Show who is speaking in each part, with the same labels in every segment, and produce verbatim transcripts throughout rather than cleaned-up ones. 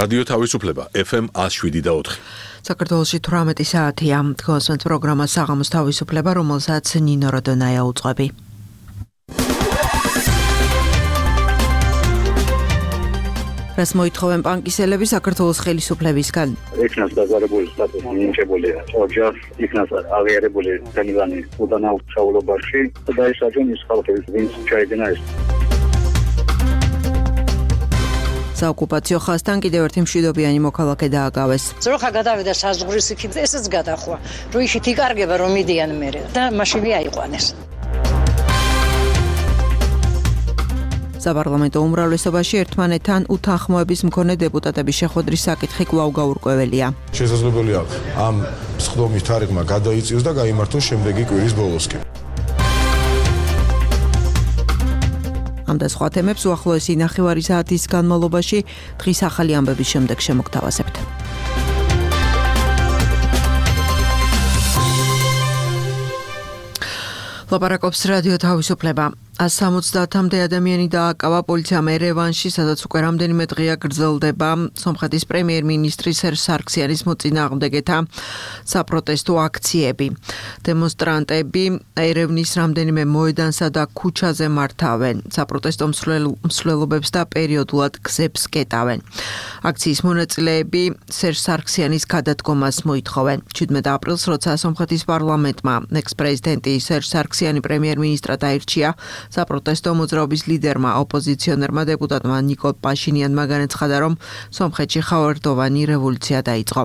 Speaker 1: რადიო თავისუფლება ეფ ემ one oh seven და four.
Speaker 2: საქართველოში თვრამეტი საათია. თქვენს პროგრამა საღამოს თავისუფლება, რომელსაც ნინო როდონაია უძღვები. რას მოითხოვენ ბანკისელები საქართველოს ხელისუფლებისგან?
Speaker 3: იქნას დაზარებული სტატუსი მინიჭებულია. ოჯახ იქნას აღიარებული თემილანი უდანაყოფობაში და ისაჯენ ის ხალხი, ვინც ჩაიდინა ეს.
Speaker 2: საოკუპაციო ხაზთან კიდევ ერთი მშვიდობიანი მოქალაქე დააგავეს.
Speaker 4: ზროხა გადავიდა საზღვრის იქით, ესეც გადახვა. რო ისიც იკარგება რომ მიდიან მერე და მაშინვე აიყვანეს.
Speaker 2: საპარლამენტო უმრავლესობაში ერთმანეთთან უთანხმოების მქონე დეპუტატების შეხვედრის საკითხი კვლავ გაურკვეველია.
Speaker 5: შესაძლებელია ამ სხდომის თარიღმა გადაიწიოს და გაიმართოს შემდეგი კვირის ბოლოსკენ. ამ და სხვა თემებს უახლოესი ნახევარი საათის განმავლობაში დღის ახალი ამბების შემდეგ შემოგთავაზებთ. ლაპარაკობს რადიო თავისუფლება. one hundred ადამიანი დააკავა პოლიციამ ერევანში, სადაც უკვე რამდენიმე დღეა გრძელდება სომხეთის პრემიერ-მინისტრი სერჟ სარქსიანის მოწინააღმდეგეთა საპროტესტო აქციები. დემონსტრანტები ერევნის რამდენიმე მოედანსა და ქუჩაზე მართავენ, საპროტესტო მსვლელობებს და პერიოდულად გზებს კეტავენ. აქციის მონაწილეები სერჟ სარქსიანის გადადგომას მოითხოვენ. seventeen აპრილს, როცა სომხეთის პარლამენტმა ექს-პრეზიდენტი სერჟ სარქსიანი პრემიერ-მინისტრად აირჩია, საპროტესტო მოძრაობის ლიდერმა ოპოზიციონერმა დეპუტატმა ნიკოლ პაშინიანმა განაცხადა, რომ სომხეთში ხავერდოვანი რევოლუცია დაიწყო.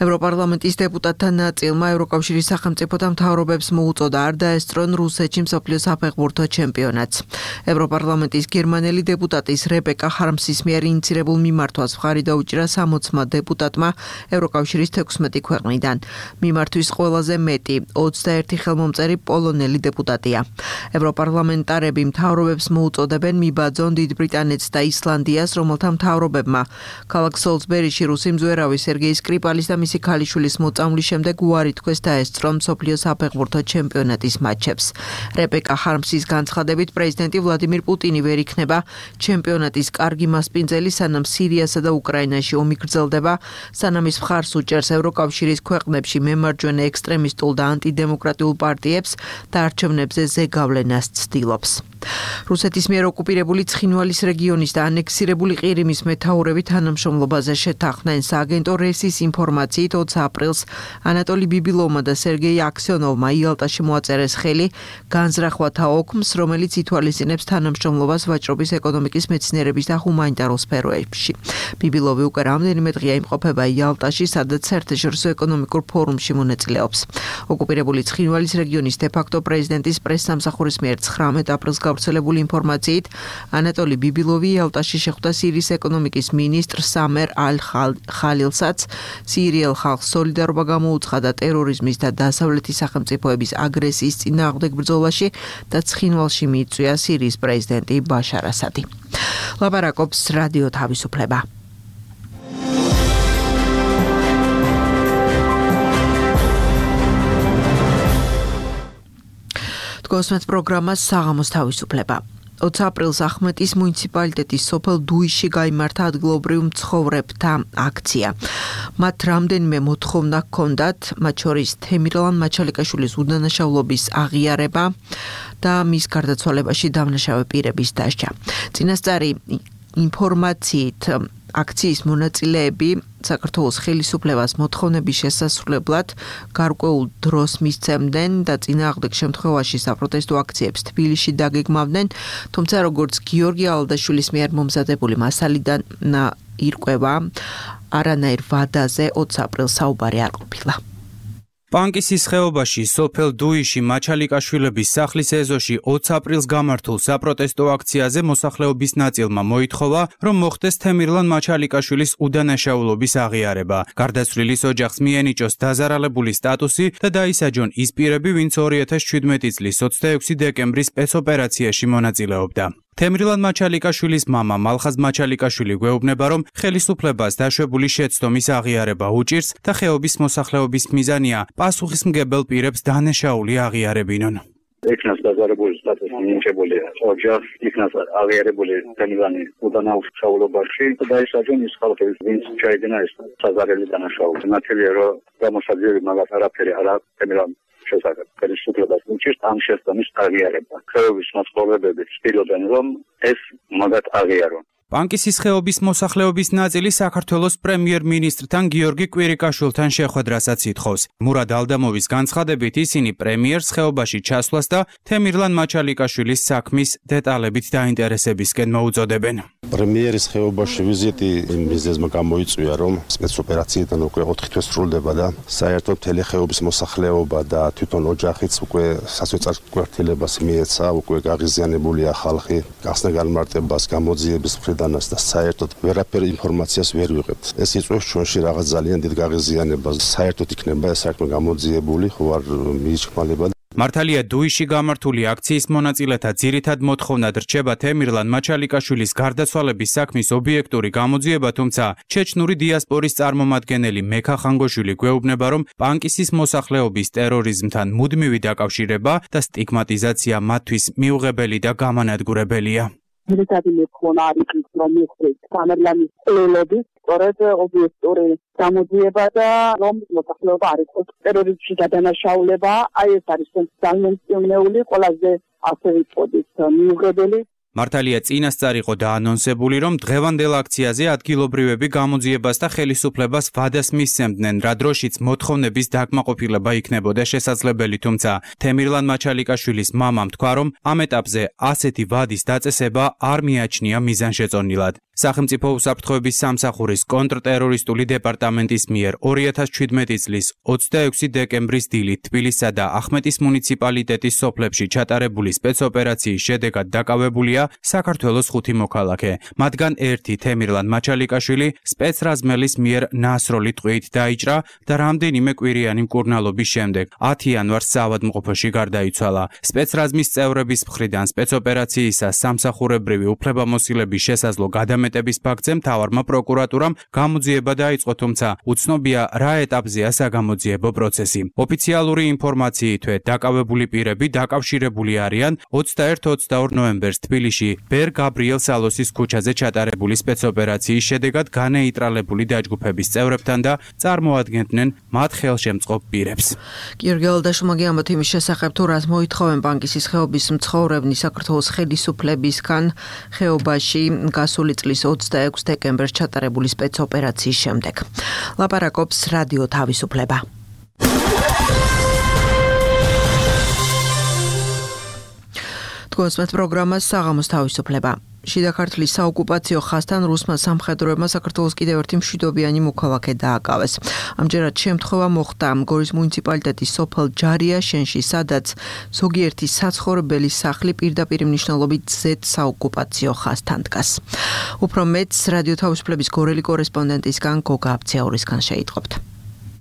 Speaker 5: ევროპარლამენტის დეპუტატთა ნაწილმა ევროკავშირის სახელმწიფოთა მთავრობებს მოუწოდა არ დაესწრონ რუსეთში მსოფლიო საფეხბურთო ჩემპიონატს. ევროპარლამენტის გერმანელი დეპუტატის რებეკა ჰარმსის მიერ ინიცირებულ მიმართვას მხარი დაუჭირა sixty დეპუტატმა ევროკავშირის თექვსმეტი ქვეყნიდან. მიმართვის ყველაზე მეტი twenty-one ხელმომწერი პოლონელი დეპუტატია. ევროპარლამენტარები მთავრობებს მოუწოდებენ მიბაძონ დიდ ბრიტანეთს და ისლანდიას, რომელთა მთავრობებმა ქალაქ სოლსბერიში რუსი მძვერავი სერგეი სკრიპალის და მისი ქალიშვილის მოწამვლის შემდეგ უარი თქვეს დაესწრონ მსოფლიო საფეხბურთო ჩემპიონატის მატჩებს. რებეკა ჰარმსის განცხადებით, პრეზიდენტი ვლადიმირ პუტინი ვერ იქნება ჩემპიონატის კარგი მასპინძელი, სანამ სირიასა და უკრაინაში ომი გრძელდება, სანამ ის მხარს უჭერს ევროკავშირის ქვეყნებში მემარჯვენე ექსტრემისტულ და ანტიდემოკრატიულ პარტიებს და არჩევნებზე ზეგავლენას ცდილობს. რუსეთის მიერ ოკუპირებული ცხინვალის რეგიონის და ანექსირებული ყირიმის მეთაურები თანამშრომლობაზე შეთანხმდნენ. სააგენტო რესის ინფორმაციით twenty აპრილს ანატოლი ბიბილოვმა და სერგეი აქსიონოვმა იალტაში მოაწერეს ხელი განზრახვათა ოქმს, რომელიც ითვალისწინებს თანამშრომლობას ვაჭრობის, ეკონომიკის, მეცნიერების და ჰუმანიტარულ სფეროებში. ბიბილოვი უკვე რამდენიმე დღეა იმყოფება იალტაში, სადაც საერთაშორისო ეკონომიკურ ფორუმში მონაწილეობს. ოკუპირებული ცხინვალის რეგიონის დე-ფაქტო პრეზიდენტის პრესსამსახურის მიერ nineteen აპრილს გავრცელებული ინფორმაციით ანატოლი ბიბილოვი იალტაში შეხვდა სირიის ეკონომიკის მინისტრ სამერ ალ-ხალილსაც. სირიელ ხალხს სოლიდარობა გამოუცხადა ტერორიზმის და დასავლეთის სახელმწიფოების აგრესიის წინააღმდეგ ბრძოლაში და ცხინვალში მიიწვია სირიის პრეზიდენტი ბაშარ ასადი. ლაპარაკობს რადიო თავისუფლება. თქვენს პროგრამას საღამოს თავისუფლება. twenty აპრილს ახმეტის მუნიციპალიტეტის სოფელ დუიში გაიმართა ადგილობრივ მცხოვრებთა აქცია. მათ რამდენიმე მოთხოვნა ჰქონდათ, მათ შორის თემირლან მაჩალიკაშვილის უდანაშაულობის აღიარება და მის გარდაცვალებაში დამნაშავე პირების დასჯა. წინასწარი ინფორმაციით აქციის მონაწილეები საქართველოს ხელისუფლებას მოთხოვნების შესასრულებლად გარკვეულ დროს მისცემდნენ და წინააღმდეგ შემთხვევაში საპროტესტო აქციებს თბილისში დაგეგმავდნენ, თუმცა როგორც გიორგი ალდაშვილის მიერ მომზადებული მასალიდან ირკვევა, არანაირ ვადაზე twenty აპრილს საუბარი არ ყოფილა.
Speaker 6: პანკისის ხეობაში სოფელ დუიში მაჩალიკაშვილების სახლის ეზოში twenty აპრილს გამართულ საპროტესტო აქციაზე მოსახლეობის ნაწილმა მოითხოვა, რომ მოხდეს თემირლან მაჩალიკაშვილის უდანაშაულობის აღიარება. გარდაცვლილის ოჯახს მიენიჭოს დაზარალებული სტატუსი და დაისაჯონ ის პირები, ვინც two thousand seventeen წლის twenty-six დეკემბრის სპეცოპერაციაში მონაწილეობდა. თემრილან მაჩალიკაშვილის მამა მალხაზ მაჩალიკაშვილი გვეუბნება, რომ ხელისუფლებას დაშვებული შეცდომის აღიარება უჭირს და ხეობის მოსახლეობის მიზანია პასუხისმგებელ პირებს დანაშაული აღიარებინონ.
Speaker 3: იქნას დაზარებული სტატუსი მინიჭებული ოჯახს, იქნას აღიარებული თემილანი უდანაუშაულობაში და ეს აჯონის ხალხი ვინც ჩაიდინა ეს საზარელი დანაშაული. ნათელია რომ გამოსაძიები მაგათ არაფერი არ აქვს თემილან შესახებ. ხელისუფლებას უჭირთ ამ შესწავლის აღიარება. ხეობის მაცხოვრებლები ცდილობენ რომ ეს მაგათ აღიარონ.
Speaker 6: პანკისის ხეობის მოსახლეობის ნაწილი საქართველოს პრემიერ-მინისტრთან გიორგი კვირიკაშვილთან შეხვედრასაც ითხოვს. მურად ალდამოვის განცხადებით ისინი პრემიერს ხეობაში ჩასვლას და თემირლან მაჩალიკაშვილის საქმის დეტალებით დაინტერესებისკენ მოუწოდებენ.
Speaker 7: პრემიერის ხეობაში ვიზიტი მიზეზმა გამოიწვია, რომ სპეცოპერაციიდან უკვე ოთხი თვე სრულდება და საერთოდ მთელი ხეობის მოსახლეობა და თვითონ ოჯახიც უკვე სასოწარ კვარტილებას მიეცა, უკვე გაღიზიანებულია ხალხი, გახსნა განმარტებას, გამოძიების მხრიდანაც და საერთოდ ვერაფერი ინფორმაციას ვერ ვიღებთ. ეს იწვევს ჩვენში რაღაც ძალიან დიდ გაღიზიანებას. საერთოდ იქნება ეს საერთოდ გამოძიებული, ხო არ მიიჩქმალება.
Speaker 6: მართალია დუიში გამართული აქციის მონაწილეთა ძირითად მოთხოვნად რჩება თემირლან მაჩალიკაშვილის გარდაცვალების საქმის ობიექტური გამოძიება, თუმცა ჩეჩნური დიასპორის წარმომადგენელი მექა ხანგოშვილი გვეუბნება, რომ პანკისის მოსახლეობის ტერორიზმთან მუდმივი დაკავშირება და სტიგმატიზაცია მათთვის მიუღებელი და გამანადგურებელია.
Speaker 8: ძირითადი მოთხოვნა არის ის, რომ მიხდეს თემირლანის ყოლობის სწორედ ობიექტური გამოძიება და რომ მოსახლეობა არ იყოს ტერორიზმში გადანაშაულება, აი ეს არის ძალიან მწვნეული, ყველაზე ასე ვიტყოდით მიუღებელი.
Speaker 6: მართალია წინასწარ იყო დაანონსებული, რომ დღევანდელ აქციაზე ადგილობრივები გამოძიებას და ხელისუფლებას ვადას მისცემდნენ, რა დროშიც მოთხოვნების დაკმაყოფილება იქნებოდა შესაძლებელი, თუმცა თემირლან მაჩალიკაშვილის მამამ თქვა, რომ ამ ეტაპზე ასეთი ვადის დაწესება არ მიაჩნია მიზანშეწონილად. სახელმწიფო უსაფრთხოების სამსახურის კონტრტერორისტული დეპარტამენტის მიერ ორი ათას შვიდმეტი წლის ოცდაექვსი დეკემბრის დილით თბილისსა და ახმეტის მუნიციპალიტეტის სოფლებში ჩატარებული სპეცოპერაციის შედეგად დაკავებულია საქართველოს ხუთი მოქალაქე. მათგან ერთი თემირლან მაჩალიკაშვილი სპეცრაზმელის მიერ ნასროლი ტყვიით დაიჭრა და რამდენიმე კვირიანი მკურნალობის შემდეგ ათი იანვარს საავადმყოფოში გარდაიცვალა. სპეცრაზმის წევრების მხრიდან სპეცოპერაციისას სამსახურებრივი უფლებამოსილების შესაძლო გადამეტების ფაქტზე მთავარმა პროკურატურამ გამოძიება დაიწყო, თუმცა უცნობია რა ეტაპზეა საგამოძიებო პროცესი. ოფიციალური ინფორმაციითვე დაკავებული პირები დაკავშირებული არიან ოცდაერთი ოცდაორი ნოემბერს თბილისში ბერ გაბრიელ სალოსის ქუჩაზე ჩატარებული სპეცოპერაციის შედეგად განეიტრალებული დაჯგუფების წევრებთან და წარმოადგენდნენ მათ ხელშემწყობ პირებს.
Speaker 2: გიორგი ალდაშუმაგი ამბობთ იმის შესახებ, თუ რას მოითხოვენ პანკისის ხეობის მცხოვრებნი საქართველოს ხელისუფლებისგან ხეობაში გასული წლის ოცდაექვსი დეკემბერს ჩატარებული სპეცოპერაციის შემდეგ. ლაპარაკობს რადიო თავისუფლება. თქვენს პროგრამას საღამოს თავისუფლება. შიდა ქართლის საოკუპაციო ხაზთან რუსმა სამხედროებმა საქართველოს კიდევ ერთი მშვიდობიანი მოქალაქე დააკავეს. ამჯერად შემთხვევა მოხდა გორის მუნიციპალიტეტის სოფელ ჯარიაშენში, სადაც ზოგიერთი საცხოვრებელი სახლი პირდაპირ მნიშვნელობით ზედ საოკუპაციო ხაზთან დგას. უფრო მეტს რადიო თავისუფლების გორელი კორესპონდენტისგან გოგა აბციაურისგან შეიტყობთ.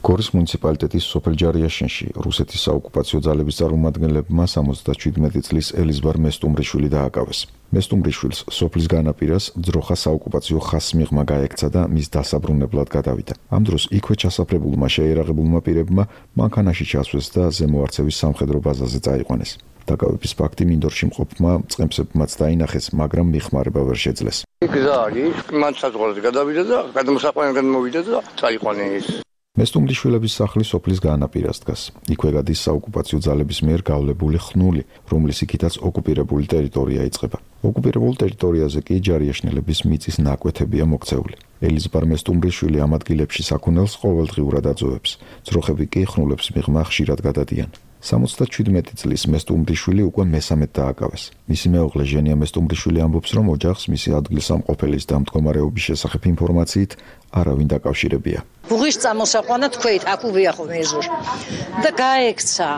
Speaker 9: გორის მუნიციპალიტეტის სოფელ ჯარიაშენში რუსეთის საოკუპაციო ძალების წარმომადგენლებმა სამოცდაშვიდმეტი წლის ელიზბარ მესტუმრიშვილი დააკავეს. მესტუმრიშვილს სოფლის განაპირას ძროხა საოკუპაციო ხაზს მიღმა გაექცა და მის დასაბრუნებლად გადავიდა. ამ დროს იქვე ჩასაფრებულმა შეერაღებულმა პირებმა მანქანაში ჩასვეს და ზემოარცევის სამხედრო ბაზაზე წაიყვანეს. დაკავების ფაქტი მინდორში მყოფმა წყემსებმაც დაინახეს, მაგრამ მიხმარება ვერ შეძლეს.
Speaker 10: იქ და ის მან საზღვარზე გადავიდა და გადმოსაყვანებლად მოვიდა და წაიყვანეს.
Speaker 9: მესტუმრიშვილების სახლი სოფლის განაპირას დგას. იქვე გადის საოკუპაციო ძალების მიერ გავლებული ხნული, რომლის იქითაც ოკუპირებული ტერიტორია იწყება. ოკუპირებულ ტერიტორიაზე კი ჯარიაშნელების მიწის ნაკვეთებია მოქცეული. ელიზბარ მესტუმრიშვილი ამ ადგილებში საქონელს ყოველდღიურად აძოვებს. ძროხები კი ხნულებს მიღმა ხშირად გადადიან. სამოცდაშვიდმეტი წლის მესტუმრიშვილი უკვე მესამედ დააკავეს. მისი მეუღლე ჟენია მესტუმრიშვილი ამბობს, რომ ოჯახს მისი ადგილსამყოფელის და მდგომარეობის შესახებ ინფორმაციით არავინ დაკავშირებია.
Speaker 4: ბუღის წამოსაყვანა თქვით, აქ უბია ხოლმე ეზოში. და გაექცა.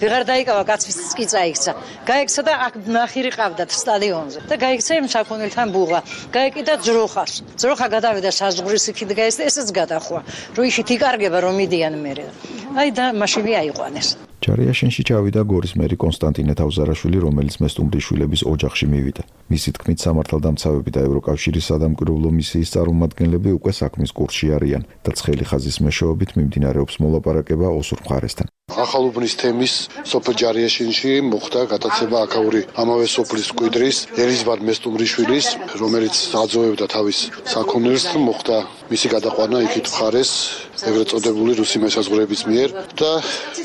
Speaker 4: ვეღარ დაიკავა კაცის კი წაიქცა. გაექცა და აქ ნახირი ყავდათ სტადიონზე. და გაექცა იმ საქონელთან ბუღა. გაეკიდა ძროხას. ძროხა გადავიდა საზღვრის იქით გაეს და ესეც გადახვა. რომ იქით იკარგება რომ მიდიან მერე. აი და მაშინი აიყვანეს.
Speaker 9: ჯარიაშენში ჩავიდა გორის მერი კონსტანტინე თავზარაშვილი, რომელიც მესტუმრიშვილების ოჯახში მივიდა. მისი თქმით, სამართალდამცავები და ევროკავშირის სადამკვირვებლო მისიის წარმომადგენლები უკვე საქმის კურსში არიან და ცხელი ხაზის მეშვეობით მიმდინარეობს მოლაპარაკება ოსურ მხარესთან.
Speaker 11: ახალუბნის თემის სოფელ ჯარიაშენში მოხდა გატაცება აქაური ამავე სოფლის მკვიდრის ელიზბარ მესტუმრიშვილის, რომელიც აძოვებდა თავის საქონელს, მოხდა მისი გადაყვანა იქით მხარეს ეგრეთ წოდებული რუსი მესაზღვრეების მიერ და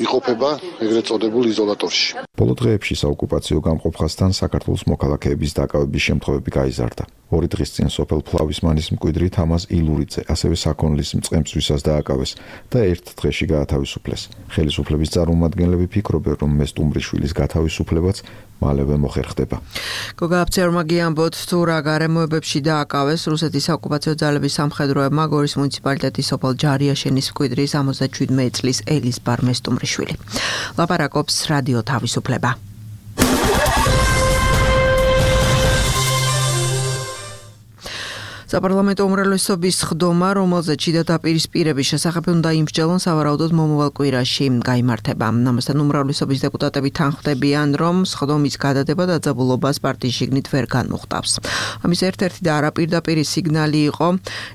Speaker 11: იყოფება ეგრეთ წოდებულ იზოლატორში.
Speaker 9: ბოლო დღეებში საოკუპაციო გამყოფხასთან საქართველოს მოქალაქეების დაკავების შემთხვევები გაიზარდა. ორი დღის წინ სოფელ ფლავისმანის მკვიდრი თამაზ ილურიძე ასევე საქონლის მწყემსვისას დააკავეს და ერთ დღეში გაათავისუფლეს. ხელისუფლების წარმომადგენლები ფიქრობენ, რომ მესტუმრიშვილის გათავისუფლებაც მალევე მოხერხდება.
Speaker 2: გოგა აფცერმა გიამბოთ თუ რა გარემოებებში დააკავეს რუსეთის საოკუპაციო ძალების სამხედროებმა გორის მუნიციპალიტეტის სოფელ ჯარიაშენის მკვიდრის ოცდაშვიდმეტი წლის ელიზბარ მესტუმრიშვილი. ლაპარაკობს რადიო თავისუფლება. საპარლამენტო უმრავლესობის ხდომა, რომელზეც შიდა დაპირისპირების შესახებ უნდა იმსჯელონ, სავარაუდოდ მომავალ კვირაში გაიმართება. ამასთან უმრავლესობის დეპუტატები თანხმდებიან, რომ ხდომის გადადება დაძაბულობას პარტიის შიგნით ვერ განუხტავს. ამის ერთ-ერთი და არაპირდაპირი სიგნალი იყო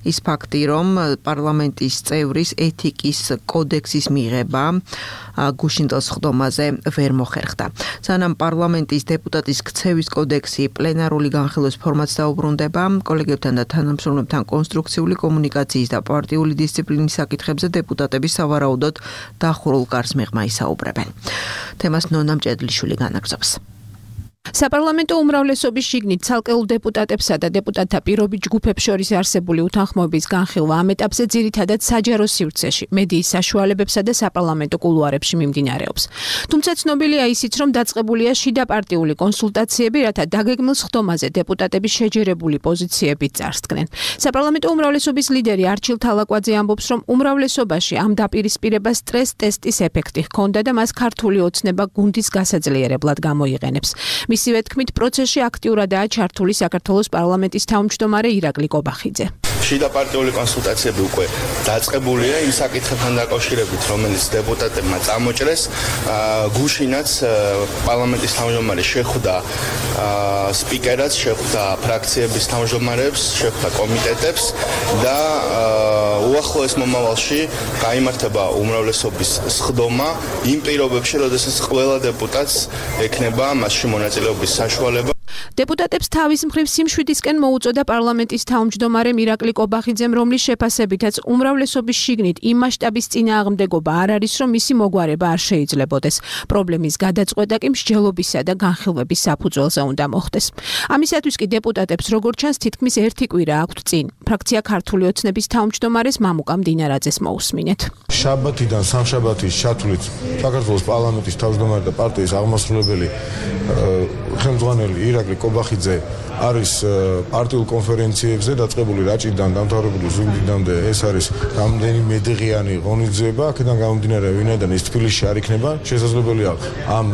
Speaker 2: ის ფაქტი, რომ პარლამენტის წევრის ეთიკის კოდექსის მიღება გუშინდელს ხდომაზე ვერ მოხერხდა. სანამ პარლამენტის დეპუტატის ქცევის კოდექსი პლენარული განხილვის ფორმატს დაუბრუნდება, კოლეგებთან და თანამშრომლებთან კონსტრუქციული კომუნიკაციის და პარტიული დისციპლინის საკითხებზე დეპუტატები სავარაუდოდ დახურულ კარს მიღმა ისაუბრებენ. თემას ნონა მჭედლიშვილი განაგრძობს.
Speaker 12: საპარლამენტო უმრავლესობის შიგნით ცალკეულ დეპუტატებსა და დეპუტატთა პირობით ჯგუფებს შორის არსებული უთანხმოების განხილვა ამ ეტაპზე ძირითადად საჯარო სივრცეში, მედიის საშუალებებსა და საპარლამენტო კულუარებში მიმდინარეობს. თუმცა ცნობილია ისიც, რომ დაწყებულია შიდაპარტიული კონსულტაციები, რათა დაგეგმილ ხდომაზე დეპუტატების შეჯერებული პოზიციებით წარსდგნენ. საპარლამენტო უმრავლესობის ლიდერი არჩილ თალაკვაძე ამბობს, რომ უმრავლესობაში ამ დაპირისპირებას სტრეს ტესტის ეფექტი ჰქონდა და მას ქართული ოცნება გუნდის გასაძლიერებლად გამოიყენებს. მისივე თქმით, პროცესში აქტიურადაა ჩართული საქართველოს პარლამენტის თავმჯდომარე ირაკლი კობახიძე.
Speaker 13: შიდაპარტიული კონსულტაციები უკვე დაწყებულია იმ საკითხებთან დაკავშირებით, რომელიც დეპუტატებმა წამოჭრეს. გუშინაც პარლამენტის თავმჯდომარე შეხვდა სპიკერად, შეხვდა ფრაქციების თავმჯდომარებს, შეხვდა კომიტეტებს და უახლოეს მომავალში გაიმართება უმრავლესობის სხდომა იმ პირობებში, როდესაც ყველა დეპუტატს ექნება მასში მონაწილეობის საშუალება.
Speaker 12: დეპუტატებს თავის მხრივ სიმშვიდისკენ მოუწოდა პარლამენტის თავმჯდომარე ირაკლი კობახიძემ, რომლის შეფასებითაც უმრავლესობის შიგნით იმ მასშტაბის წინააღმდეგობა არ არის, რომ მისი მოგვარება არ შეიძლებოდეს. პრობლემის გადაწყვეტა კი მსჯელობისა და განხილვების საფუძველზე უნდა მოხდეს. ამისათვის კი დეპუტატებს როგორც ჩანს თითქმის ერთი კვირა აქვთ წინ. ფრაქცია ქართული ოცნების თავმჯდომარეს მამუკა მდინარაძეს მოусმინეთ.
Speaker 14: შაბათიდან სამშაბათის ჩათვლით საქართველოს პარლამენტის თავმჯდომარე და პარტიის აღმასრულებელი ხელმძღვანელი ირაკლი კობახიძე არის პარტიულ კონფერენციებზე დაწყებული რაჭიდან დამთავრებული ზუგდიდამდე. ეს არის რამდენიმე დღიანი ღონისძიება. აქედან გამომდინარე, ვინაიდან ის თბილისში არ იქნება, შესაძლებელია ამ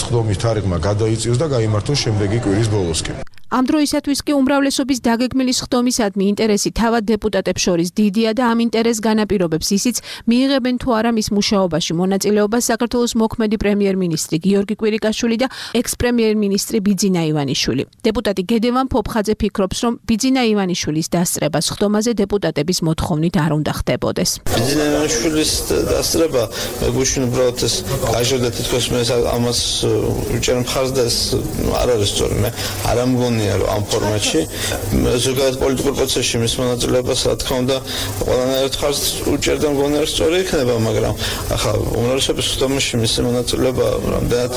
Speaker 14: სხდომის თარიღმა გადაიწიოს და გაიმართოს შემდეგი კვირის ბოლოსკენ.
Speaker 12: ამ დროისათვის კი უმრავლესობის დაგეგმილი სხდომისადმი ინტერესი თავად დეპუტატებს შორის დიდია და ამ ინტერესს განაპირობებს ისიც, მიიღებენ თუ არა მის მუშაობაში მონაწილეობას საქართველოს მოქმედი პრემიერ-მინისტრი გიორგი კვირიკაშვილი და ექს-პრემიერ-მინისტრი ბიძინა ივანიშვილი. დეპუტატი გედევან ფოფხაძე ფიქრობს, რომ ბიძინა ივანიშვილის დასწრება სხდომაზე დეპუტატების მოთხოვნით არ უნდა ხდებოდეს.
Speaker 15: ბიძინა ივანიშვილის დასწრება გუშინ უბრალოდ ეს გაჟღერდა თითქოს მე ამას უჭერ მხარს და ეს არ არის სწორი. მე არ ამგონი ამ ფორმატში ზოგადად პოლიტიკურ პროცესში მის მონაწილეობას რა თქმა უნდა ყველანაირად ხარს უჭერდა მგონი არ სწორი იქნება, მაგრამ ახლა უმრავლესობის სხდომაში მის მონაწილეობა რამდენად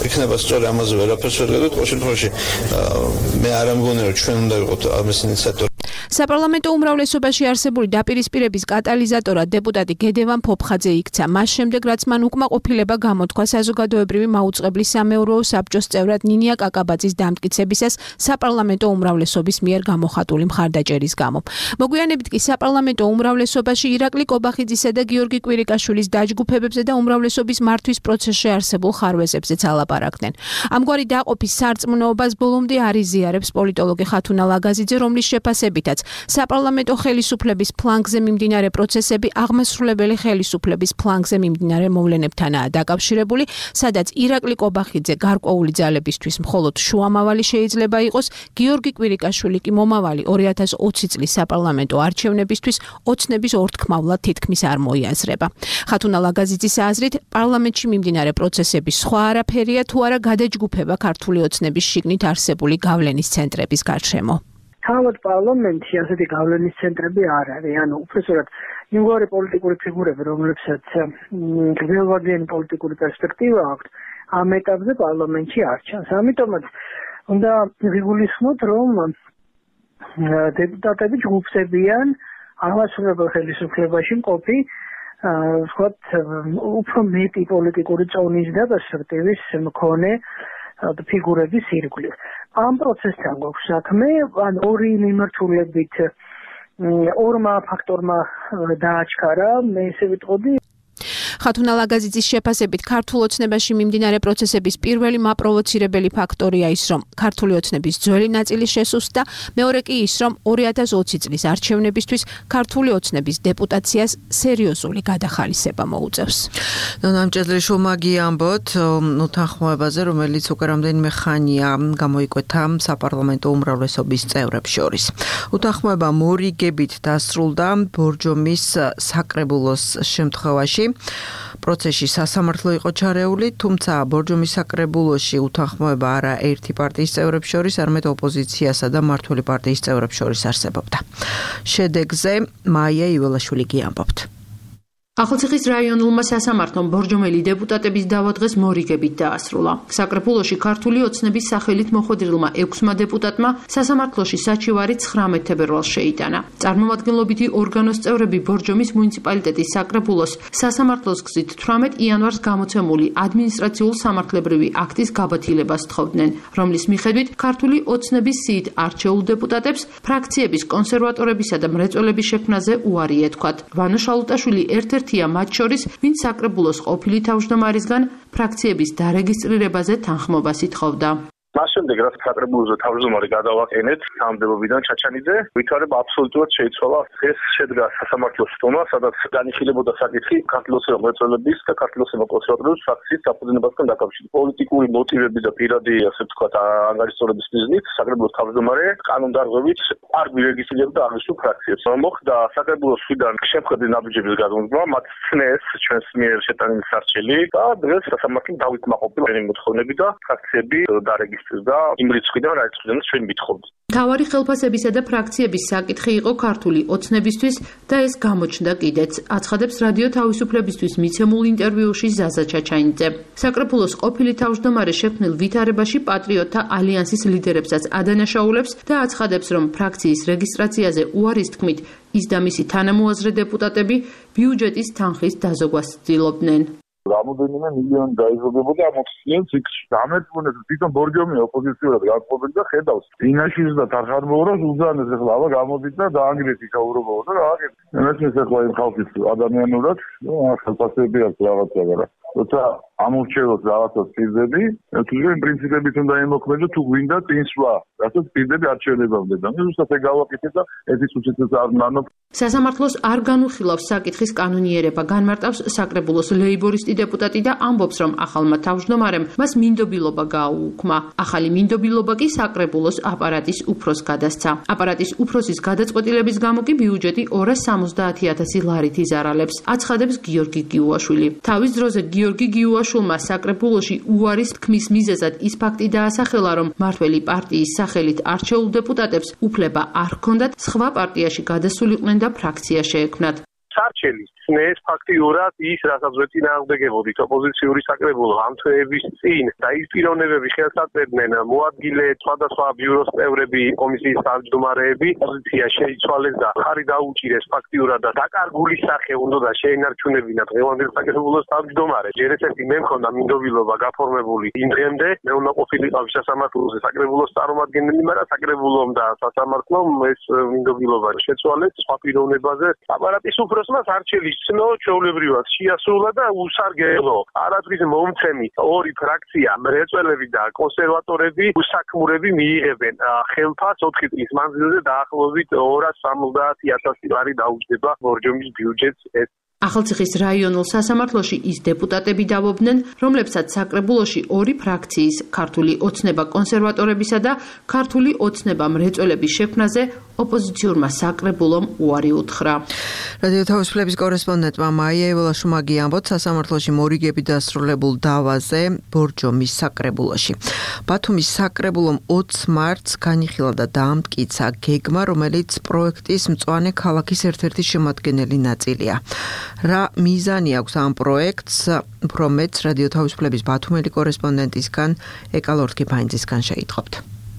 Speaker 15: იქნება სწორი, ამაზე ვერაფერს ვერ გადავით. ყოველ შემთხვევაში მე არ ამგონი რომ ჩვენ უნდა ვიყოთ ამის ინიციატორი.
Speaker 12: საპარლამენტო უმრავლესობაში არსებული დაპირისპირების კატალიზატორად დეპუტატი გედევან ფოფხაძე იქცა. მას შემდეგ, რაც მან უკმაყოფილება გამოთქვა საზოგადოებრივი მაუწყებლის სამეურვეო საბჭოს წევრად ნინია კაკაბაძის დამტკიცებისას საპარლამენტო უმრავლესობის მიერ გამოხატული მხარდაჭერის გამო. მოგვიანებით კი საპარლამენტო უმრავლესობაში ირაკლი კობახიძისა და გიორგი კვირიკაშვილის დაჯგუფებებზე და უმრავლესობის მართვის პროცესში არსებულ ხარვეზებზეც ალაპარაკდნენ. ამგვარი დაყოფის სარწმუნოებას ბოლომდე არ იზიარებს პოლიტოლოგი ხათუნა ლაგაზიძე, რომლის შეფასებითაც საპარლამენტო ხელისუფლების ფლანგზე მიმდინარე პროცესები აღმასრულებელი ხელისუფლების ფლანგზე მიმდინარე მოვლენებთანაა დაკავშირებული, სადაც ირაკლი კობახიძე გარკვეული ძალებისთვის მხოლოდ შუამავალი შეიძლება იყოს, გიორგი კვირიკაშვილი კი მომავალი ორი ათას ოცი წლის საპარლამენტო არჩევნებისთვის ოცნების ორთქმავლად თითქმის არ მოიაზრება. ხათუნა ლაგაზიძის აზრით, პარლამენტში მიმდინარე პროცესები სხვა არაფერია თუ არა გადაჯგუფება ქართული ოცნების შიგნით არსებული გავლენის ცენტრების გარშემო.
Speaker 16: თავად პარლამენტში ასეთი გავლენის ცენტრები არ არის, ანუ უბრალოდ იმგვარი პოლიტიკური ფიგურები, რომლებსაც გრძელვადიანი პოლიტიკური პერსპექტივა აქვს, ამ ეტაპზე პარლამენტში არ ჩანს. ამიტომაც უნდა ვიგულისხმოთ, რომ დეპუტატები ჯგუფდებიან აღმასრულებელ ხელისუფლებაში მყოფი ვთქვათ, უფრო მეტი პოლიტიკური წონის და პერსპექტივის მქონე ფიგურების ირგვლივ. ამ პროცესთან გვაქვს საქმე, ან ორი მიმართულებით ორმა ფაქტორმა დააჩქარა, მე ესე ვიტყოდი.
Speaker 12: ხათუნა ლაგაზიძის შეფასებით ქართულ ოცნებაში მიმდინარე პროცესების პირველი მაპროვოცირებელი ფაქტორია ის, რომ ქართული ოცნების ძველი ნაწილი შესუსტდა, მეორე კი ის, რომ ორი ათას ოცი წლის არჩევნებისთვის ქართული ოცნების დეპუტაციას სერიოზული გადახალისება მოუწევს.
Speaker 2: ნამჭედლიშვილმა გიამბოთ უთანხმოებაზე, რომელიც უკვე რამდენიმე ხანია გამოიკვეთა საპარლამენტო უმრავლესობის წევრებს შორის. უთანხმოება მორიგებით დასრულდა ბორჯომის საკრებულოს შემთხვევაში. პროცესში სასამართლო იყო ჩარეული, თუმცა ბორჯომის საკრებულოში უთანხმოება არა ერთი პარტიის წევრებს შორის, არამედ ოპოზიციასა და მმართველი პარტიის წევრებს შორის არსებობდა. შედეგზე მაია იველაშვილი გიამბობთ.
Speaker 17: ახალციხის რაიონულმა სასამართლომ ბორჯომელი დეპუტატების დავა დღეს მორიგებით დაასრულა. საკრებულოში ქართული ოცნების სახელით მოხვედრილმა ექვსმა დეპუტატმა სასამართლოში საჩივარი ცხრამეტ თებერვალს შეიტანა. წარმომადგენლობითი ორგანოს წევრები ბორჯომის მუნიციპალიტეტის საკრებულოს სასამართლოს გზით თვრამეტ იანვარს გამოცემული ადმინისტრაციულ-სამართლებრივი აქტის გაბათილებას თხოვდნენ, რომლის მიხედვით ქართული ოცნების სიით არჩეულ დეპუტატებს ფრაქციების კონსერვატორებისა და მრეწველების შექმნაზე უარი ეთქვათ. ვანო შალუტაშვილი ერთ-ერთ მათ შორის, ვინც საკრებულოს ყოფილი თავმჯდომარისგან ფრაქციების დარეგისტრირებაზე თანხმობას ითხოვდა.
Speaker 18: მას შემდეგ რაც საკრებულოზე თავმჯდომარე გადავაყენეთ სამდებობიდან ჩაჩანიძე, ვითარება აბსოლუტურად შეიცვალა. ეს შედგა სასამართლოს სტომა, სადაც განიხილებოდა საკითხი ქართლის მრეწველების და ქართლის კონსერვატორების ფრაქციის საფუძნებასთან დაკავშირებით. პოლიტიკური მოტივები და პირადი, ასე ვთქვათ, ანგარიშწორების მიზნით საკრებულოს თავმჯდომარე კანონდარღვევით არ გვირეგისტრირებდა აღნიშნულ ფრაქციებს. მოხდა საკრებულოს მხრიდან შემხედრე ნაბიჯების გადმოსვლა, მათ ცნეს ჩვენს მიერ შეტანილი სარჩელი და დღეს სასამართლო დავითმაყოფილა ეს მოთხოვნები და ფრაქციები დარეგისტრირდა. და იმ რიცხვიდან რა რიცხვიდან ჩვენ ვითხოვთ.
Speaker 17: მთავარი ხელფასებისა და ფრაქციების საკითხი იყო ქართული ოცნებისთვის და ეს გამოჩნდა კიდეც, აცხადებს რადიო თავისუფლებისთვის მიცემულ ინტერვიუში ზაზა ჩაჩაინიძე. საკრებულოს ყოფილი თავმჯდომარე შექმნილ ვითარებაში პატრიოტთა ალიანსის ლიდერებსაც ადანაშაულებს და აცხადებს, რომ ფრაქციის რეგისტრაციაზე უარის თქმით ის და მისი თანამოაზრე დეპუტატები ბიუჯეტის თანხის დაზოგვას ცდილობდნენ.
Speaker 19: რამოდენიმე მილიონი დაიზოგებოდა ამ ოცნიან ციკლში. ამერტყუნებს თვითონ ბორჯომი ოპოზიციურად განწყობილი და ხედავს. ინაშის და თარხარმოურას უზანეს ახლა აბა გამოდით და დაანგრიეთ იქაურობაო და რა აკეთებს. მესმის ახლა იმ ხალხის ადამიანურად, ნუ ახალწლები აქვს რაღაცა რა. როცა ამორჩევოთ რაღაცას პირდები, თუმცა პრინციპებით უნდა ემოქმედო თუ გვინდა წინსვლა, რასაც პირდები არჩევნებამდე და ზუსტად ეგ გავაკეთეთ და ესეც უცეთოს არ ნანო.
Speaker 17: სასამართლოს არ განუხილავს საკითხის კანონიერება, განმარტავს საკრებულოს ლეიბორისტი დეპუტატი და ამბობს, რომ ახალმა თავმჯდომარემ მას მინდობილობა გააუქმა. ახალი მინდობილობა კი საკრებულოს აპარატის უფროსს გადასცა. აპარატის უფროსის გადაწყვეტილების გამო კი ბიუჯეტი ორას სამოცდაათი ათასი ლარით იზარალებს, აცხადებს გიორგი გიუაშვილი. თავის დროზე გიორგი გიუაშვილმა საკრებულოში უარის თქმის მიზეზად ის ფაქტი დაასახელა, რომ მმართველი პარტიის სახელით არჩეულ დეპუტატებს უფლება არ ჰქონდათ სხვა პარტიაში გადასულიყვნენ და ფრაქცია შეექმნათ.
Speaker 18: სარჩელის ცნეს ფაქტიურად ის, რასაც ვეწინააღმდეგებოდით ოპოზიციური საკრებულო ამ თვეების წინ და ის პიროვნებები ხელსაწერდნენ მოადგილე სხვადასხვა ბიუროს წევრები, კომისიის თავმჯდომარეები, პოზიცია შეიცვალეს და ხარი დაუჭირეს ფაქტიურად და დაკარგული სახე უნდა შეენარჩუნებინა დღევანდელ საკრებულოს თავმჯდომარე. ჯერ ესეთი მე მქონდა მინდობილობა გაფორმებული იმ დღემდე, მე უნდა ყოფილიყავი სასამართლოზე საკრებულოს წარმომადგენელი, მაგრამ საკრებულომ და სასამართლომ ეს მინდობილობა შეცვალეს სხვა პიროვნებაზე. აპარატის უფროს საპროტესტოს არჩევის ცნო ჩვეულებრივად შეასრულა და უსარგებლო არადრის მომცემი ორი ფრაქცია მრეწველები და კონსერვატორები უსაქმურები მიიღებენ ხელფას ოთხი წლის მანძილზე დაახლოებით ორას სამოცდაათი ათასი ლარი დაუჯდება ბორჯომის ბიუჯეტს ეს
Speaker 17: ახალციხის რაიონულ სასამართლოში ის დეპუტატები დავობდნენ, რომლებსაც საკრებულოში ორი ფრაქციის, ქართული ოცნება კონსერვატორებისა და ქართული ოცნება მრეწველების შექმნაზე ოპოზიციურმა საკრებულომ უარი უთხრა.
Speaker 2: რადიო თავისუფლების კორესპონდენტმა მაია ევოლაშუმაგი ამბობს სასამართლოში მორიგები დასრულებულ დავაზე ბორჯომის საკრებულოში. ბათუმის საკრებულომ ოცს მარტს განიხილა და დაამტკიცა გეგმა, რომელიც პროექტის მწვანე ქალაქის ერთ-ერთი შემადგენელი ნაწილია. რა მიზანი აქვს ამ პროექტს, უფრო მეტს რადიო თავისუფლების ბათუმელი კორესპონდენტისგან ეკალორთკიფაინძისგან შეიტყობთ.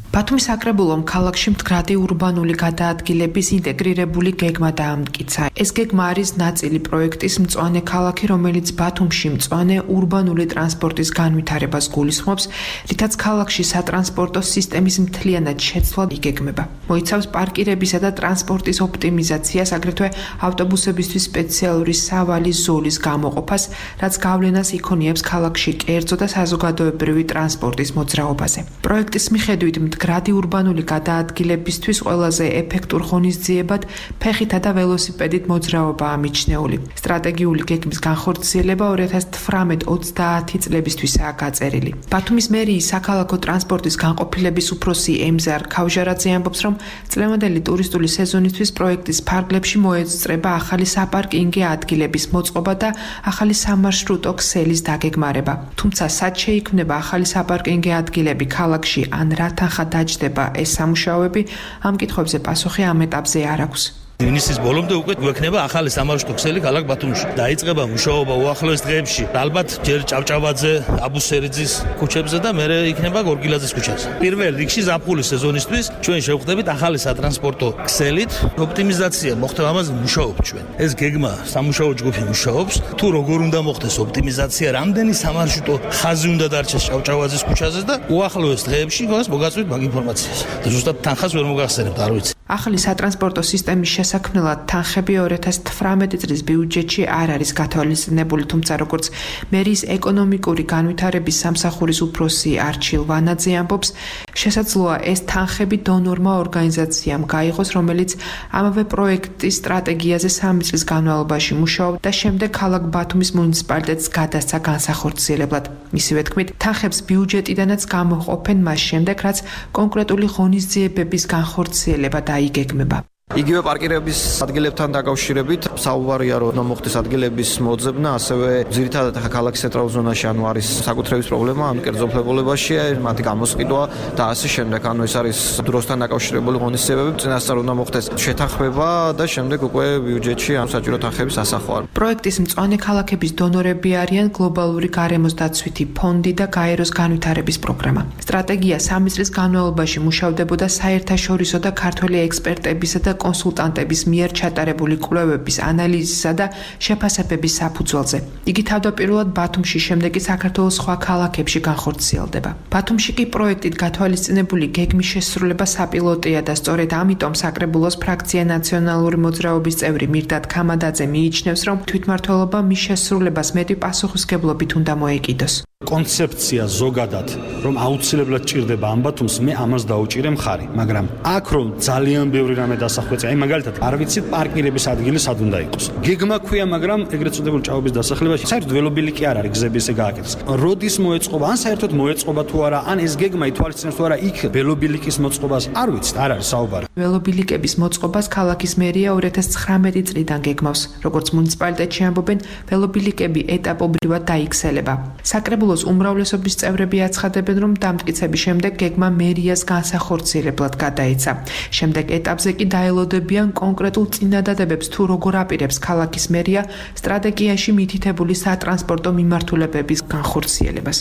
Speaker 5: ბათუმის საკრებულომ ქალაქში მდგრადი ურბანული გადაადგილების ინტეგრირებული გეგმა დაამტკიცა. ეს გეგმა არის ნაწილი პროექტის მწვანე ქალაქი, რომელიც ბათუმში მწვანე ურბანული ტრანსპორტის განვითარებას გულისხმობს, რითაც ქალაქში სატრანსპორტო სისტემის მთლიანად შეცვლა იგეგმება. მოიცავს პარკირებისა და ტრანსპორტის ოპტიმიზაციას, აგრეთვე ავტობუსებისთვის სპეციალური სავალი ზოლის გამოყოფას, რაც გავლენას იქონიებს ქალაქში კერძო და საზოგადოებრივი ტრანსპორტის მოძრაობაზე. პროექტის მიხედვით მდგრადი ურბანული გადაადგილებისთვის ყველაზე ეფექტურ ღონისძიებად ფეხითა და ველოსიპედით მოძრაობაა მიჩნეული. სტრატეგიული გეგმის განხორციელება ორი ათას თვრამეტ ოცდაათი წლებისთვისაა გაწერილი. ბათუმის მერიის საქალაქო ტრანსპორტის განყოფილების უფროსი ემზარ ქავჟარაძე ამბობს, რომ წლევანდელი ტურისტული სეზონისთვის პროექტის ფარგლებში მოეწრება ახალი საპარკინგი ადგილების მოწყობა და ახალი სამარშრუტო ქსელის დაგეგმარება. თუმცა სად შეიქმნება ახალი საპარკინგი ადგილები ქალაქში ან რა თანხა დაჯდება ეს სამუშაოები, ამ კითხვებზე პასუხი ამ ეტაპზე არ აქვს.
Speaker 20: ივნისის ბოლომდე უკვე გვექნება ახალი სამარშრუტო ქსელი ქალაქ ბათუმში. დაიწყება მუშაობა უახლოეს დღეებში. ალბათ ჯერ ჭავჭავაძე, აბუსერიძის ქუჩებზე და მერე იქნება გორგილაძის ქუჩაზე. პირველ რიგში ზაფხულის სეზონისთვის ჩვენ შევხვდებით ახალი სატრანსპორტო ქსელით. ოპტიმიზაცია მოხდება, ამაზე მუშაობთ ჩვენ. ეს გეგმა სამუშაო ჯგუფი მუშაობს. თუ როგორ უნდა მოხდეს ოპტიმიზაცია, რამდენი სამარშრუტო ხაზი უნდა დარჩეს ჭავჭავაძის ქუჩაზე და უახლოეს დღეებში გონს მოგაწვით მაგ ინფორმაციას. და ზუსტად თანხას ვერ მოგახსენებთ, არ ვიცი.
Speaker 5: ახალი სატრანსპორტო სისტემის შესაქმნელად თანხები ორი ათას თვრამეტი წლის ბიუჯეტში არ არის გათვალისწინებული, თუმცა როგორც მერიის ეკონომიკური განვითარების სამსახურის უფროსი არჩილ ვანაძე ამბობს, შესაძლოა ეს თანხები დონორმა ორგანიზაციამ გაიღოს, რომელიც ამავე პროექტის სტრატეგიაზე სამი წლის განმავლობაში მუშაობდა და შემდეგ ქალაქ ბათუმის მუნიციპალიტეტს გადასცა განსახორციელებლად. მისივე თქმით, თანხებს ბიუჯეტიდანაც გამოყოფენ მას შემდეგ, რაც კონკრეტული ღონისძიებების განხორციელება დაიგეგმება.
Speaker 21: იგივე პარკირების ადგილებთან დაკავშირებით საუბარია, რომ უნდა მოხდეს ადგილების მოძებნა, ასევე ძირითადად ახლა ქალაქის ცენტრალურ ზონაში ანუ არის საკუთრების პრობლემა, ანუ კერძოფლებულებაში, მათი გამოსყიდვა და ასე შემდეგ. ანუ ეს არის დროსთან დაკავშირებული ღონისძიებები, წინასწარ უნდა მოხდეს შეთანხმება და შემდეგ უკვე ბიუჯეტში ამ საჭირო თანხების ასახვა.
Speaker 5: პროექტის მწვანე ქალაქების დონორები არიან გლობალური გარემოს დაცვითი ფონდი და გაეროს განვითარების პროგრამა. სტრატეგია სამი წლის განმავლობაში მუშავდებოდა საერთაშორისო და ქართველი ექსპერტებისა და კონსულტანტების მიერ ჩატარებული კვლევების ანალიზისა და შეფასებების საფუძველზე. იგი თავდაპირველად ბათუმში, შემდეგ კი საქართველოს სხვა ქალაქებში განხორციელდება. ბათუმში კი პროექტით გათვალისწინებული გეგმის შესრულება საპილოტია და სწორედ ამიტომ საკრებულოს ფრაქცია ნაციონალური მოძრაობის წევრი მირდად ქამადაძე მიიჩნევს, რომ თვითმმართველობა მის შესრულებას მეტი პასუხისგებლობით უნდა მოეკიდოს.
Speaker 22: კონცეფცია ზოგადად, რომ აუცილებლად ჭირდება ამ ბათუმს, მე ამას დაუჭირე მხარი, მაგრამ აქ რომ ძალიან ბევრი რამე დასახვეწია, აი მაგალითად, არ ვიცით პარკირების ადგილი სად უნდა იყოს. გეგმა ქვია, მაგრამ ეგრეთ წოდებული ჭაობის დასახლებაში საერთოდ ველობილი კი არ არის გზები ესე გააკეთეს. როდის მოეწყობა, ან საერთოდ მოეწყობა თუ არა, ან ეს გეგმა ითვალისწინებს თუ არა იქ ველობილიკის მოწყობას, არ ვიცით, არ არის საუბარი.
Speaker 5: ველობილიკების მოწყობას ქალაქის მერია ორი ათას ცხრამეტი წლიდან გეგმავს. როგორც მუნიციპალიტეტში ამბობენ, ველობილიკები ეტაპობრივად დაიქცელება. საკრებულოს უმრავლესობის წევრები აცხადებენ, რომ დამტკიცების შემდეგ გეგმა მერიას განსახორციელებლად გადაეცა. შემდეგ ეტაპზე კი დაელოდებიან კონკრეტულ წინადადებებს, თუ როგორ აპირებს ქალაქის მერია სტრატეგიაში მითითებული სატრანსპორტო მიმართულებების განხორციელებას.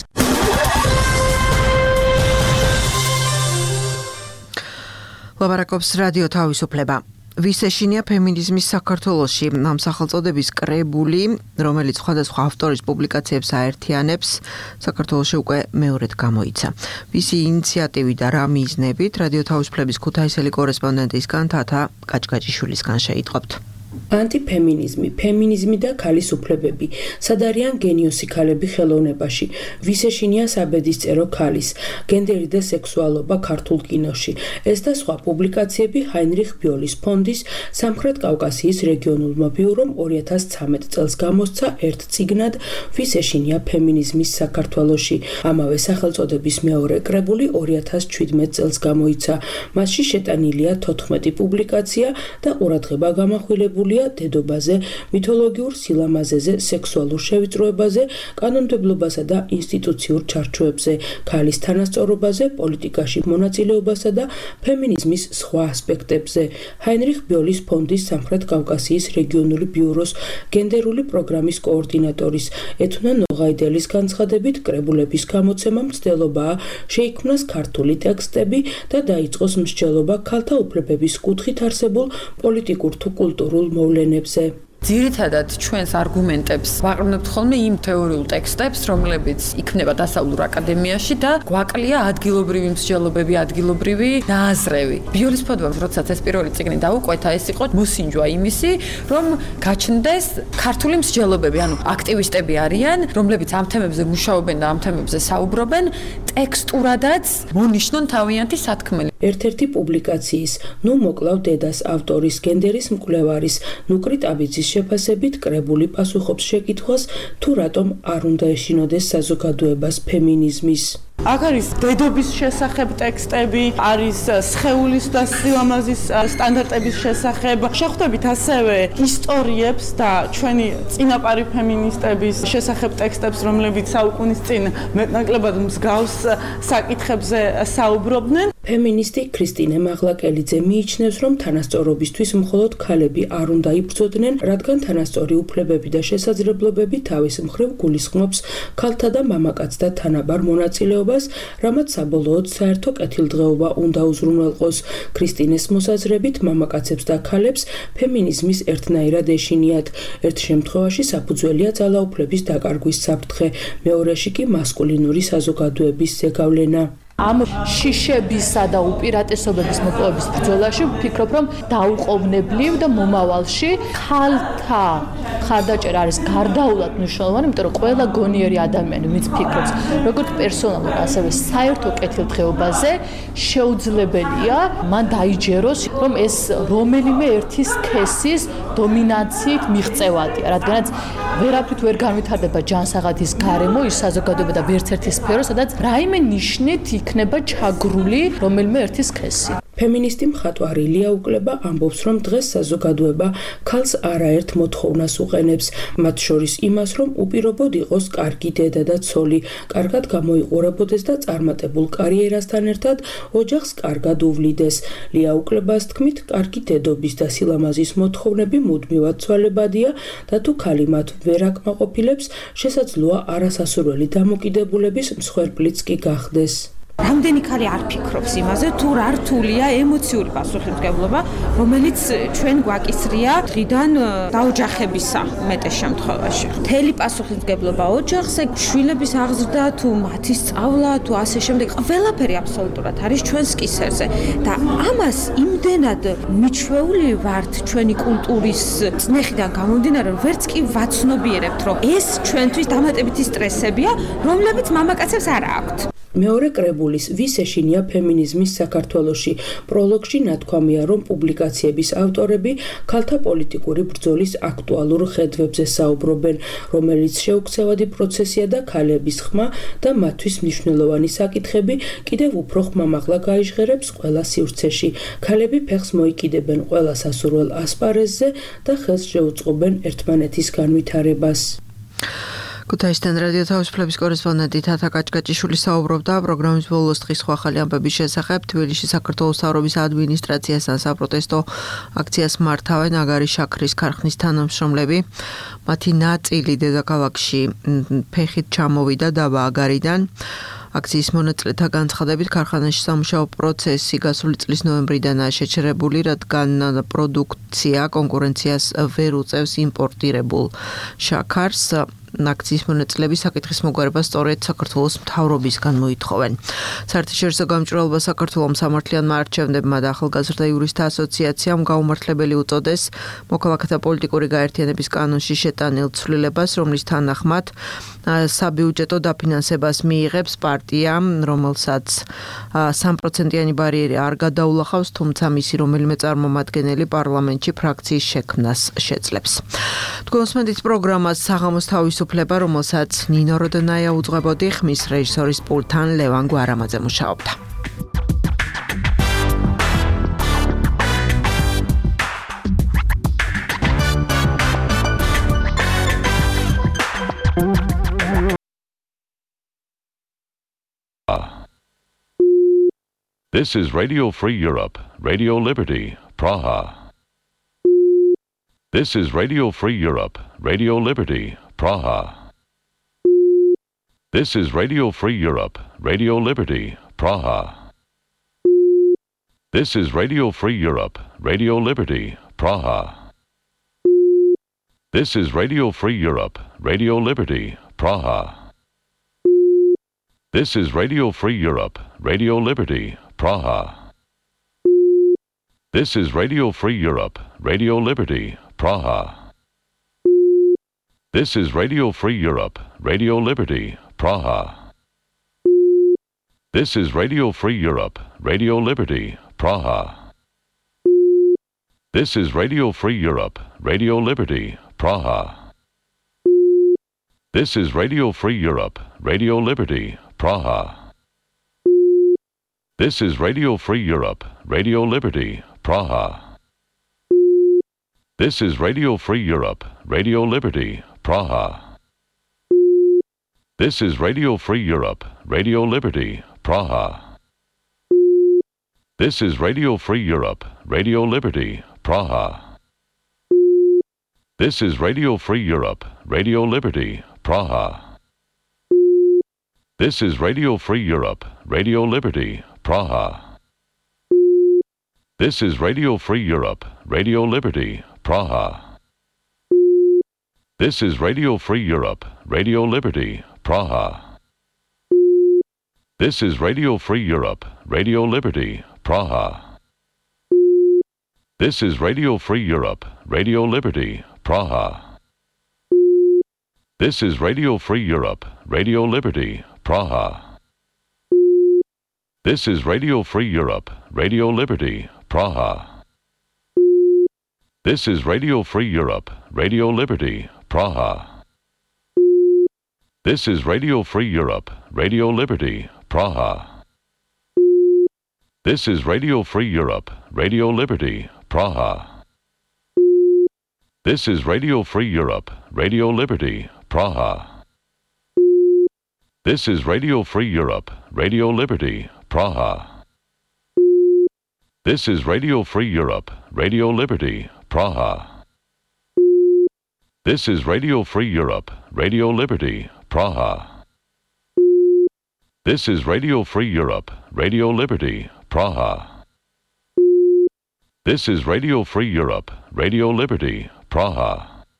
Speaker 2: ლაბარაკობს რადიო თავისუფლება. ვის ეშინია ფემინიზმის საქართველოში, ამ სახელწოდების კრებული, რომელიც სხვადასხვა ავტორის პუბლიკაციებს აერთიანებს, საქართველოში უკვე მეორედ გამოიცა. ვისი ინიციატივით და რა მიზნებით, რადიო თავისუფლების ქუთაისელი კორესპონდენტისგან თათა კაჭკაჭიშვილისგან შეიტყობთ.
Speaker 1: ანტიფემინიზმი, ფემინიზმი და ქალის უფლებები. სად არიან გენიოსი ქალები ხელოვნებაში? ვის ეშინია საბედისწერო ქალის? გენდერი და სექსუალობა ქართულ კინოში. ეს და სხვა პუბლიკაციები ჰაინრიხ ბიოლის ფონდის სამხრეთ კავკასიის რეგიონულმა ბიურომ ორი ათას ცხრამეტ წელს გამოსცა ერთ წიგნად ვის ეშინია ფემინიზმის საქართველოში. ამავე სახელწოდების მეორე კრებული ორი ათას შვიდმეტ წელს გამოიცა. მასში შეტანილია თოთხმეტი პუბლიკაცია და ყურადღება გამახვილებულია დედობაზე, მითოლოგიურ სილამაზეზე, სექსუალურ შევიწროებაზე, კანონმდებლობასა და ინსტიტუციურ ჩარჩოებზე, ქალის თანასწორობაზე, პოლიტიკაში მონაწილეობასა და ფემინიზმის სხვა ასპექტებზე. ჰაინრიხ ბიოლის ფონდის სამხრეთ კავკასიის რეგიონული ბიუროს გენდერული პროგრამის კოორდინატორის ეთუნა ნოღაიდელის განცხადებით, კრებულების გამოცემა მცდელობაა შეიქმნას ქართული ტექსტები და დაიწყოს მსჯელობა ქალთა უფლებების კუთხით არსებულ პოლიტიკურ თუ კულტურულ მოვლენებზე.
Speaker 3: ძირითადად ჩვენს არგუმენტებს ვაყრდნობთ ხოლმე იმ თეორიულ ტექსტებს, რომლებიც იქნება დასავლურ აკადემიაში და გვაკლია ადგილობრივი მსჯელობები, ადგილობრივი ნააზრევი. ბიოლის ფონდმა, როდესაც ეს პირველი წიგნი დაუკვეთა, ეს იყო მოსინჯვა იმისი, რომ გაჩნდეს ქართული მსჯელობები, ანუ აქტივისტები არიან, რომლებიც ამ თემებზე მუშაობენ და ამ თემებზე საუბრობენ, ტექსტურადაც მონიშნონ თავიანთი სათქმელი.
Speaker 1: ერთ-ერთი პუბლიკაციის ნუ მოკლავ დედას ავტორის გენდერის მკვლევარის ნუკრი ტაბიძის შეფასებით კრებული პასუხობს შეკითხვას თუ რატომ არ უნდა ეშინოდეს საზოგადოებას ფემინიზმის.
Speaker 23: აქ არის დედობის შესახებ ტექსტები, არის სხეულის და სილამაზის სტანდარტების შესახებ. შეხვდებით ასევე ისტორიებს და ჩვენი წინაპარი ფემინისტების შესახებ ტექსტებს, რომლებიც საუკუნის წინ მეტნაკლებად მსგავს საკითხებზე საუბრობდნენ. ფემინისტი ქრისტინე მაღლაკელიძე მიიჩნევს, რომ თანასწორობისთვის მხოლოდ ქალები არ უნდა იბრძოდნენ, რადგან თანასწორი უფლებები და შესაძლებლობები თავის მხრივ გულისხმობს ქალთა და მამაკაცთა თანაბარ მონაწილეობას, რამაც საბოლოოდ საერთო კეთილდღეობა უნდა უზრუნველყოს. ქრისტინეს მოსაზრებით, მამაკაცებს და ქალებს ფემინიზმის ერთნაირად ეშინიათ. ერთ შემთხვევაში საფუძველია ძალაუფლების დაკარგვის საფრთხე, მეორეში კი მასკულინური საზოგადოების ზეგავლენა.
Speaker 24: ამ შიშებისა და უპირატესობების მოპოვების ბრძოლაში ვფიქრობ, რომ დაუყოვნებლივ და მომავალში ქალთა ხარდაჭერა არის გარდაულად მნიშვნელოვანი, იმიტომ რომ ყველა გონიერი ადამიანი, ვინც ფიქრობს, როგორც პერსონალურ, ასევე საერთო კეთილდღეობაზე, შეუძლებელია მან დაიჯეროს, რომ ეს რომელიმე ერთი სქესის დომინანციით მიღწევადია, რადგანაც ვერაფრით ვერ განვითარდება ჯანსაღადის გარემო, ის საზოგადოება და ვერც ერთი სფერო, სადაც რაიმე ნიშნით იქნება ჩაგრული რომელიმე ერთი სქესი.
Speaker 1: ფემინისტი მხატვარი ლია უკლება ამბობს, რომ დღეს საზოგადოება ქალს არაერთ მოთხოვნას უყენებს, მათ შორის იმას, რომ უპირობოდ იყოს კარგი დედა და ცოლი, კარგად გამოიყურებოდეს და წარმატებულ კარიერასთან ერთად ოჯახს კარგად უვლიდეს. ლია უკლებას თქმით, კარგი დედობის და სილამაზის მოთხოვნები მუდმივად ცვალებადია და თუ ქალი მათ ვერ აკმაყოფილებს, შესაძლოა არასასურველი დამოკიდებულების მსხვერპლიც კი გახდეს.
Speaker 25: რამდენი ქალი არ ფიქრობს იმაზე, თუ რა რთულია ემოციური პასუხისმგებლობა, რომელიც ჩვენ გვაკისრია დღიდან დაოჯახებისა მეტეს შემთხვევაში. მთელი პასუხისმგებლობა ოჯახზე, შვილების აღზრდა, თუ მათი სწავლა, თუ ასე შემდეგ, ყველაფერი აბსოლუტურად არის ჩვენს კისერზე და ამას იმდენად მიჩვეული ვართ ჩვენი კულტურის წნეხიდან გამომდინარე, რომ ვერც კი ვაცნობიერებთ, რომ ეს ჩვენთვის დამატებითი სტრესებია, რომლებიც მამაკაცებს არ აქვთ.
Speaker 1: მეორე კრებულის ვის ეშინია ფემინიზმის საქართველოში პროლოგში ნათქვამია, რომ პუბლიკაციების ავტორები ქალთა პოლიტიკური ბრძოლის აქტუალურ ხედვებზე საუბრობენ, რომელიც შეუქცევადი პროცესია და ქალების ხმა და მათთვის მნიშვნელოვანი საკითხები კიდევ უფრო ხმამაღლა გაიჟღერებს ყველა სივრცეში. ქალები ფეხს მოიკიდებენ ყველა სასურველ ასპარეზზე და ხელს შეუწყობენ ერთმანეთის განვითარებას.
Speaker 2: ქუთაისთან რადიო თავისუფლების კორესპონდენტი თათა კაჭკაჭიშვილი საუბრობდა პროგრამის ბოლოს დღის სხვა ახალი ამბების შესახებ. თბილისში საქართველოს მთავრობის ადმინისტრაციასთან საპროტესტო აქციას მართავენ აგარის შაქრის ქარხნის თანამშრომლები. მათი ნაწილი დედაქალაქში ფეხით ჩამოვიდა დაბა აგარიდან. აქციის მონაწილეთა განცხადებით ქარხანაში სამუშაო პროცესი გასული წლის ნოემბრიდანაა შეჩერებული, რადგან პროდუქცია კონკურენციას ვერ უწევს იმპორტირებულ შაქარს. აქციის მონაწილეები საკითხის მოგვარებას სწორედ საქართველოს მთავრობისგან მოითხოვენ. საერთაშორისო გამჭვირვალობა საქართველოს სამართლიანმა არჩევნებმა და ახალგაზრდა იურისტთა ასოციაციამ გაუმართლებელი უწოდეს მოქალაქეთა პოლიტიკური გაერთიანების კანონში შეტანილ ცვლილებას, რომლის თანახმად საბიუჯეტო დაფინანსებას მიიღებს პარტია, რომელსაც სამი პროცენტიანი ბარიერი არ გადაულახავს, თუმცა მისი რომელიმე წარმომადგენელი პარლამენტში ფრაქციის შექმნას შეძლებს. თქვენ უსმენთ პროგრამას საღამოს თავისუფლება, რომელსაც ნინო როდონაია უძღვებოდი, ხმის რეჟისორის პულტთან ლევან გვარამაძე მუშაობდა.
Speaker 4: This is Radio Free Europe, Radio Liberty, Praha. This is Radio Free Europe, Radio Liberty, Praha. This is Radio Free Europe, Radio Liberty, Praha. This is Radio Free Europe, Radio Liberty, Praha. This is Radio Free Europe, Radio Liberty, Praha. This is Radio Free Europe, Radio Liberty, Praha. This is Radio Free Europe, Radio Liberty, Praha. This is Radio Free Europe, Radio Liberty, Praha. This is Radio Free Europe, Radio Liberty, Praha. This is Radio Free Europe, Radio Liberty, Praha. This is Radio Free Europe, Radio Liberty, Praha. This is Radio Free Europe, Radio Liberty, Praha. This is Radio Free Europe, Radio Liberty, Praha. This is Radio Free Europe, Radio Liberty, Praha. This is Radio Free Europe, Radio Liberty, Praha. This is Radio Free Europe, Radio Liberty, Praha. This is Radio Free Europe, Radio Liberty, Praha. This is Radio Free Europe, Radio Liberty, Praha. This is Radio Free Europe, Radio Liberty, Praha. This is Radio Free Europe, Radio Liberty, Praha. This is Radio Free Europe, Radio Liberty, Praha. This is Radio Free Europe, Radio Liberty, Praha. This is Radio Free Europe, Radio Liberty, Praha. This is Radio Free Europe, Radio Liberty, Praha. This is Radio Free Europe, Radio Liberty, Praha. This is Radio Free Europe, Radio Liberty, Praha. This is Radio Free Europe, Radio Liberty, Praha. This is Radio Free Europe, Radio Liberty, Praha. This is Radio Free Europe, Radio Liberty, Praha. This is Radio Free Europe, Radio Liberty, Praha. This is Radio Free Europe, Radio Liberty, Praha. This is Radio Free Europe, Radio Liberty, Praha.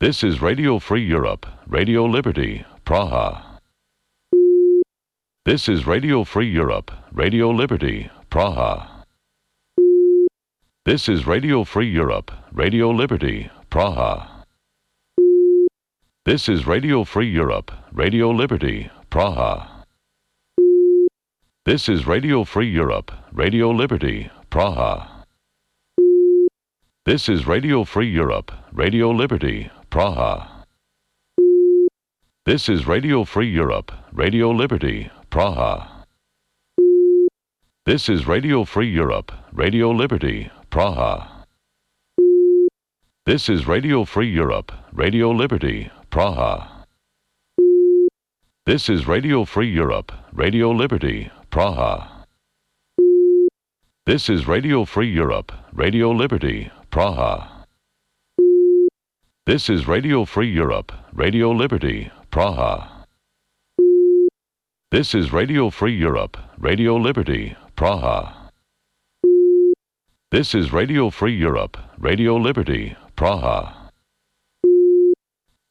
Speaker 4: This is Radio Free Europe, Radio Liberty, Praha. This is Radio Free Europe, Radio Liberty, Praha. This is Radio Free Europe, Radio Liberty, Praha. This is Radio Free Europe, Radio Liberty, Praha. This is Radio Free Europe, Radio Liberty, Praha. This is Radio Free Europe, Radio Liberty, Praha. This is Radio Free Europe, Radio Liberty, Praha. This is Radio Free Europe, Radio Liberty, Praha. This is Radio Free Europe, Radio Liberty, Praha. This is Radio Free Europe, Radio Liberty, Praha. This is Radio Free Europe, Radio Liberty, Praha. This is Radio Free Europe, Radio Liberty, Praha. This is Radio Free Europe, Radio Liberty, Praha. This is Radio Free Europe, Radio Liberty, Praha.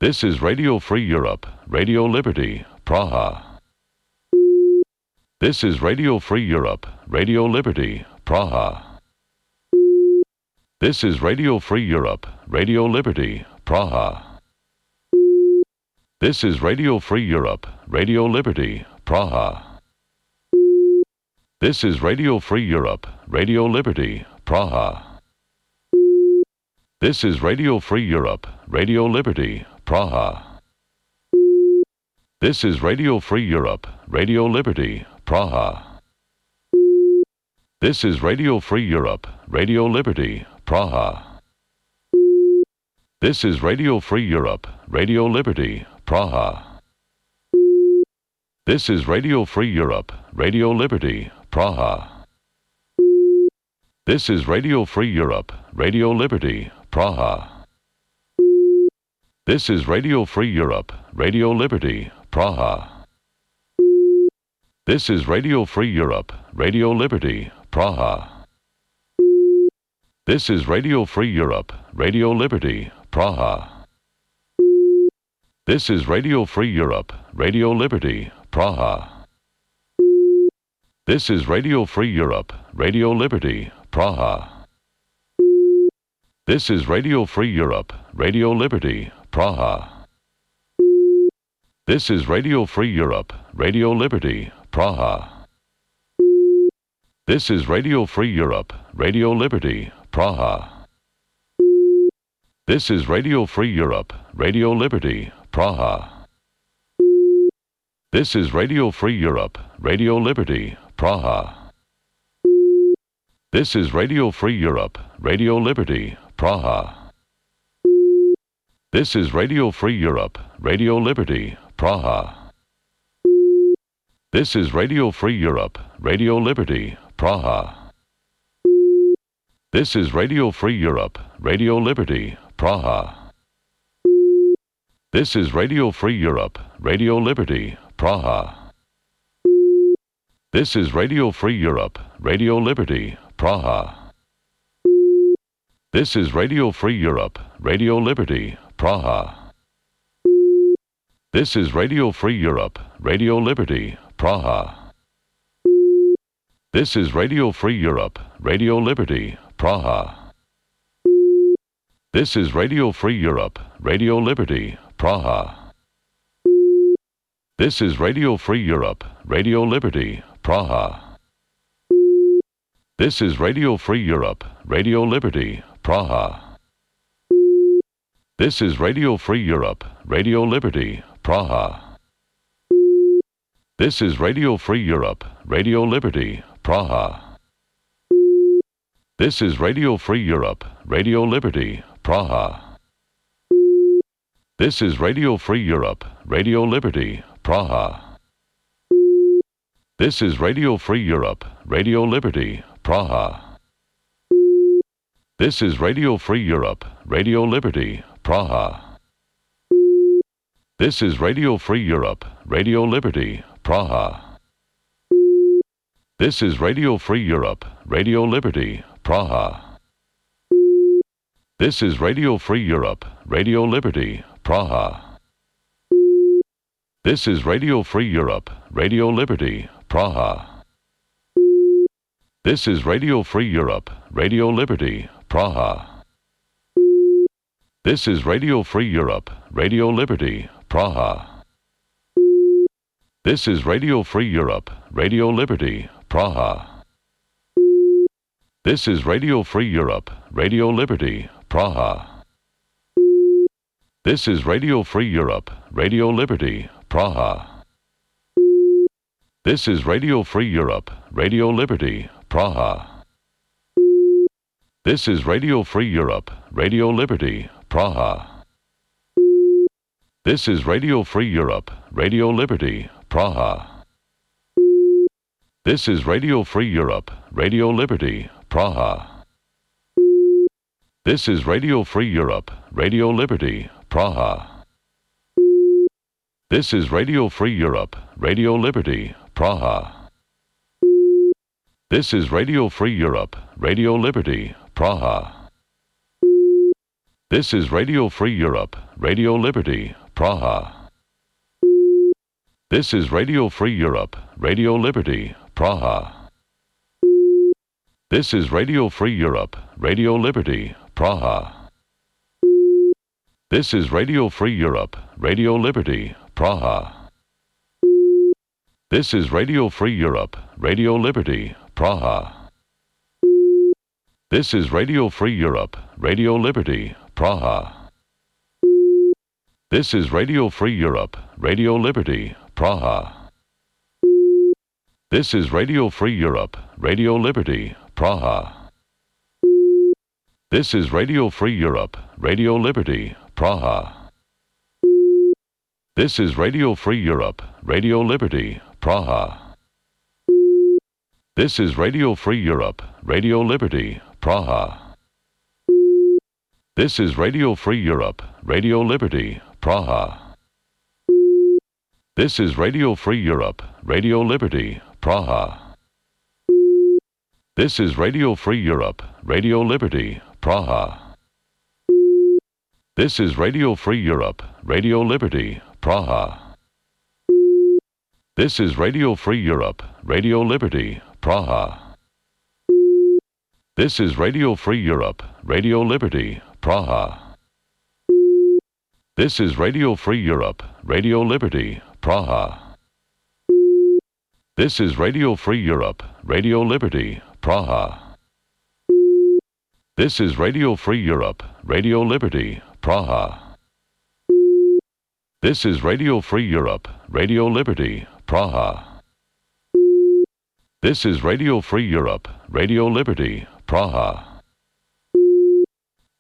Speaker 4: This is Radio Free Europe, Radio Liberty, Praha. This is Radio Free Europe, Radio Liberty, Praha. This is Radio Free Europe, Radio Liberty, Praha. This is Radio Free Europe, Radio Liberty, Praha. This is Radio Free Europe, Radio Liberty, Praha. This is Radio Free Europe, Radio Liberty, Praha. This is Radio Free Europe, Radio Liberty, Praha. This is Radio Free Europe, Radio Liberty, Praha. This is Radio Free Europe, Radio Liberty, Praha. This is Radio Free Europe, Radio Liberty, Praha. This is Radio Free Europe, Radio Liberty, Praha. This is Radio Free Europe, Radio Liberty, Praha. This is Radio Free Europe, Radio Liberty, Praha. This is Radio Free Europe, Radio Liberty, Praha. This is Radio Free Europe, Radio Liberty, Praha. This is Radio Free Europe, Radio Liberty, Praha. This is Radio Free Europe, Radio Liberty, Praha. This is Radio Free Europe, Radio Liberty, Praha. This is Radio Free Europe, Radio Liberty, Praha. This is Radio Free Europe, Radio Liberty, Praha. This is Radio Free Europe, Radio Liberty, Praha. This is Radio Free Europe, Radio Liberty, Praha. This is Radio Free Europe, Radio Liberty, Praha. This is Radio Free Europe, Radio Liberty, Praha. This is Radio Free Europe, Radio Liberty, Praha. This is Radio Free Europe, Radio Liberty, Praha. This is Radio Free Europe, Radio Liberty, Praha. This is Radio Free Europe, Radio Liberty, Praha. This is Radio Free Europe, Radio Liberty, Praha. This is Radio Free Europe, Radio Liberty, Praha. This is Radio Free Europe, Radio Liberty, Praha. This is Radio Free Europe, Radio Liberty, Praha. This is Radio Free Europe, Radio Liberty, Praha. This is Radio Free Europe, Radio Liberty, Praha. This is Radio Free Europe, Radio Liberty, Praha. This is Radio Free Europe, Radio Liberty, Praha. This is Radio Free Europe, Radio Liberty, Praha. This is Radio Free Europe, Radio Liberty, Praha. This is Radio Free Europe, Radio Liberty, Praha. This is Radio Free Europe, Radio Liberty, Praha. This is Radio Free Europe, Radio Liberty, Praha. This is Radio Free Europe, Radio Liberty, Praha. This is Radio Free Europe, Radio Liberty, Praha. This is Radio Free Europe, Radio Liberty, Praha. This is Radio Free Europe, Radio Liberty, Praha. This is Radio Free Europe, Radio Liberty, Praha. This is Radio Free Europe, Radio Liberty, Praha. This is Radio Free Europe, Radio Liberty, Praha. This is Radio Free Europe, Radio Liberty, Praha. This is Radio Free Europe, Radio Liberty, Praha. This is Radio Free Europe, Radio Liberty, Praha. This is Radio Free Europe, Radio Liberty, Praha. This is Radio Free Europe, Radio Liberty, Praha. This is Radio Free Europe, Radio Liberty, Praha. This is Radio Free Europe, Radio Liberty, Praha. This is Radio Free Europe, Radio Liberty, Praha. This is Radio Free Europe, Radio Liberty, Praha. This is Radio Free Europe, Radio Liberty, Praha. This is Radio Free Europe, Radio Liberty, Praha. This is Radio Free Europe, Radio Liberty, Praha. This is Radio Free Europe, Radio Liberty, Praha. This is Radio Free Europe, Radio Liberty, Praha. This is Radio Free Europe, Radio Liberty, Praha. This is Radio Free Europe, Radio Liberty, Praha. This is Radio Free Europe, Radio Liberty, Praha. This is Radio Free Europe, Radio Liberty, Praha. This is Radio Free Europe, Radio Liberty, Praha. This is Radio Free Europe, Radio Liberty, Praha. This is Radio Free Europe, Radio Liberty, Praha. This is Radio Free Europe, Radio Liberty, Praha. This is Radio Free Europe, Radio Liberty, Praha. This is Radio Free Europe, Radio Liberty, Praha. This is Radio Free Europe, Radio Liberty, Praha. This is Radio Free Europe, Radio Liberty, Praha. This is Radio Free Europe, Radio Liberty, Praha. This is Radio Free Europe, Radio Liberty, Praha. This is Radio Free Europe, Radio Liberty, Praha.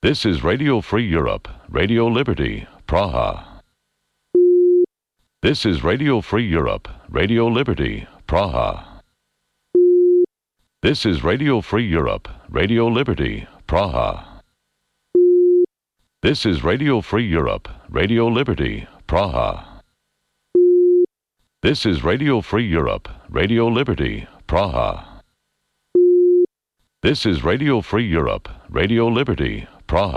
Speaker 4: This is Radio Free Europe, Radio Liberty, Praha. This is Radio Free Europe, Radio Liberty, Praha. This is Radio Free Europe, Radio Liberty, Praha. This is Radio Free Europe, Radio Liberty, Praha. This is Radio Free Europe, Radio Liberty, Praha. This is Radio Free Europe, Radio Liberty, Praha.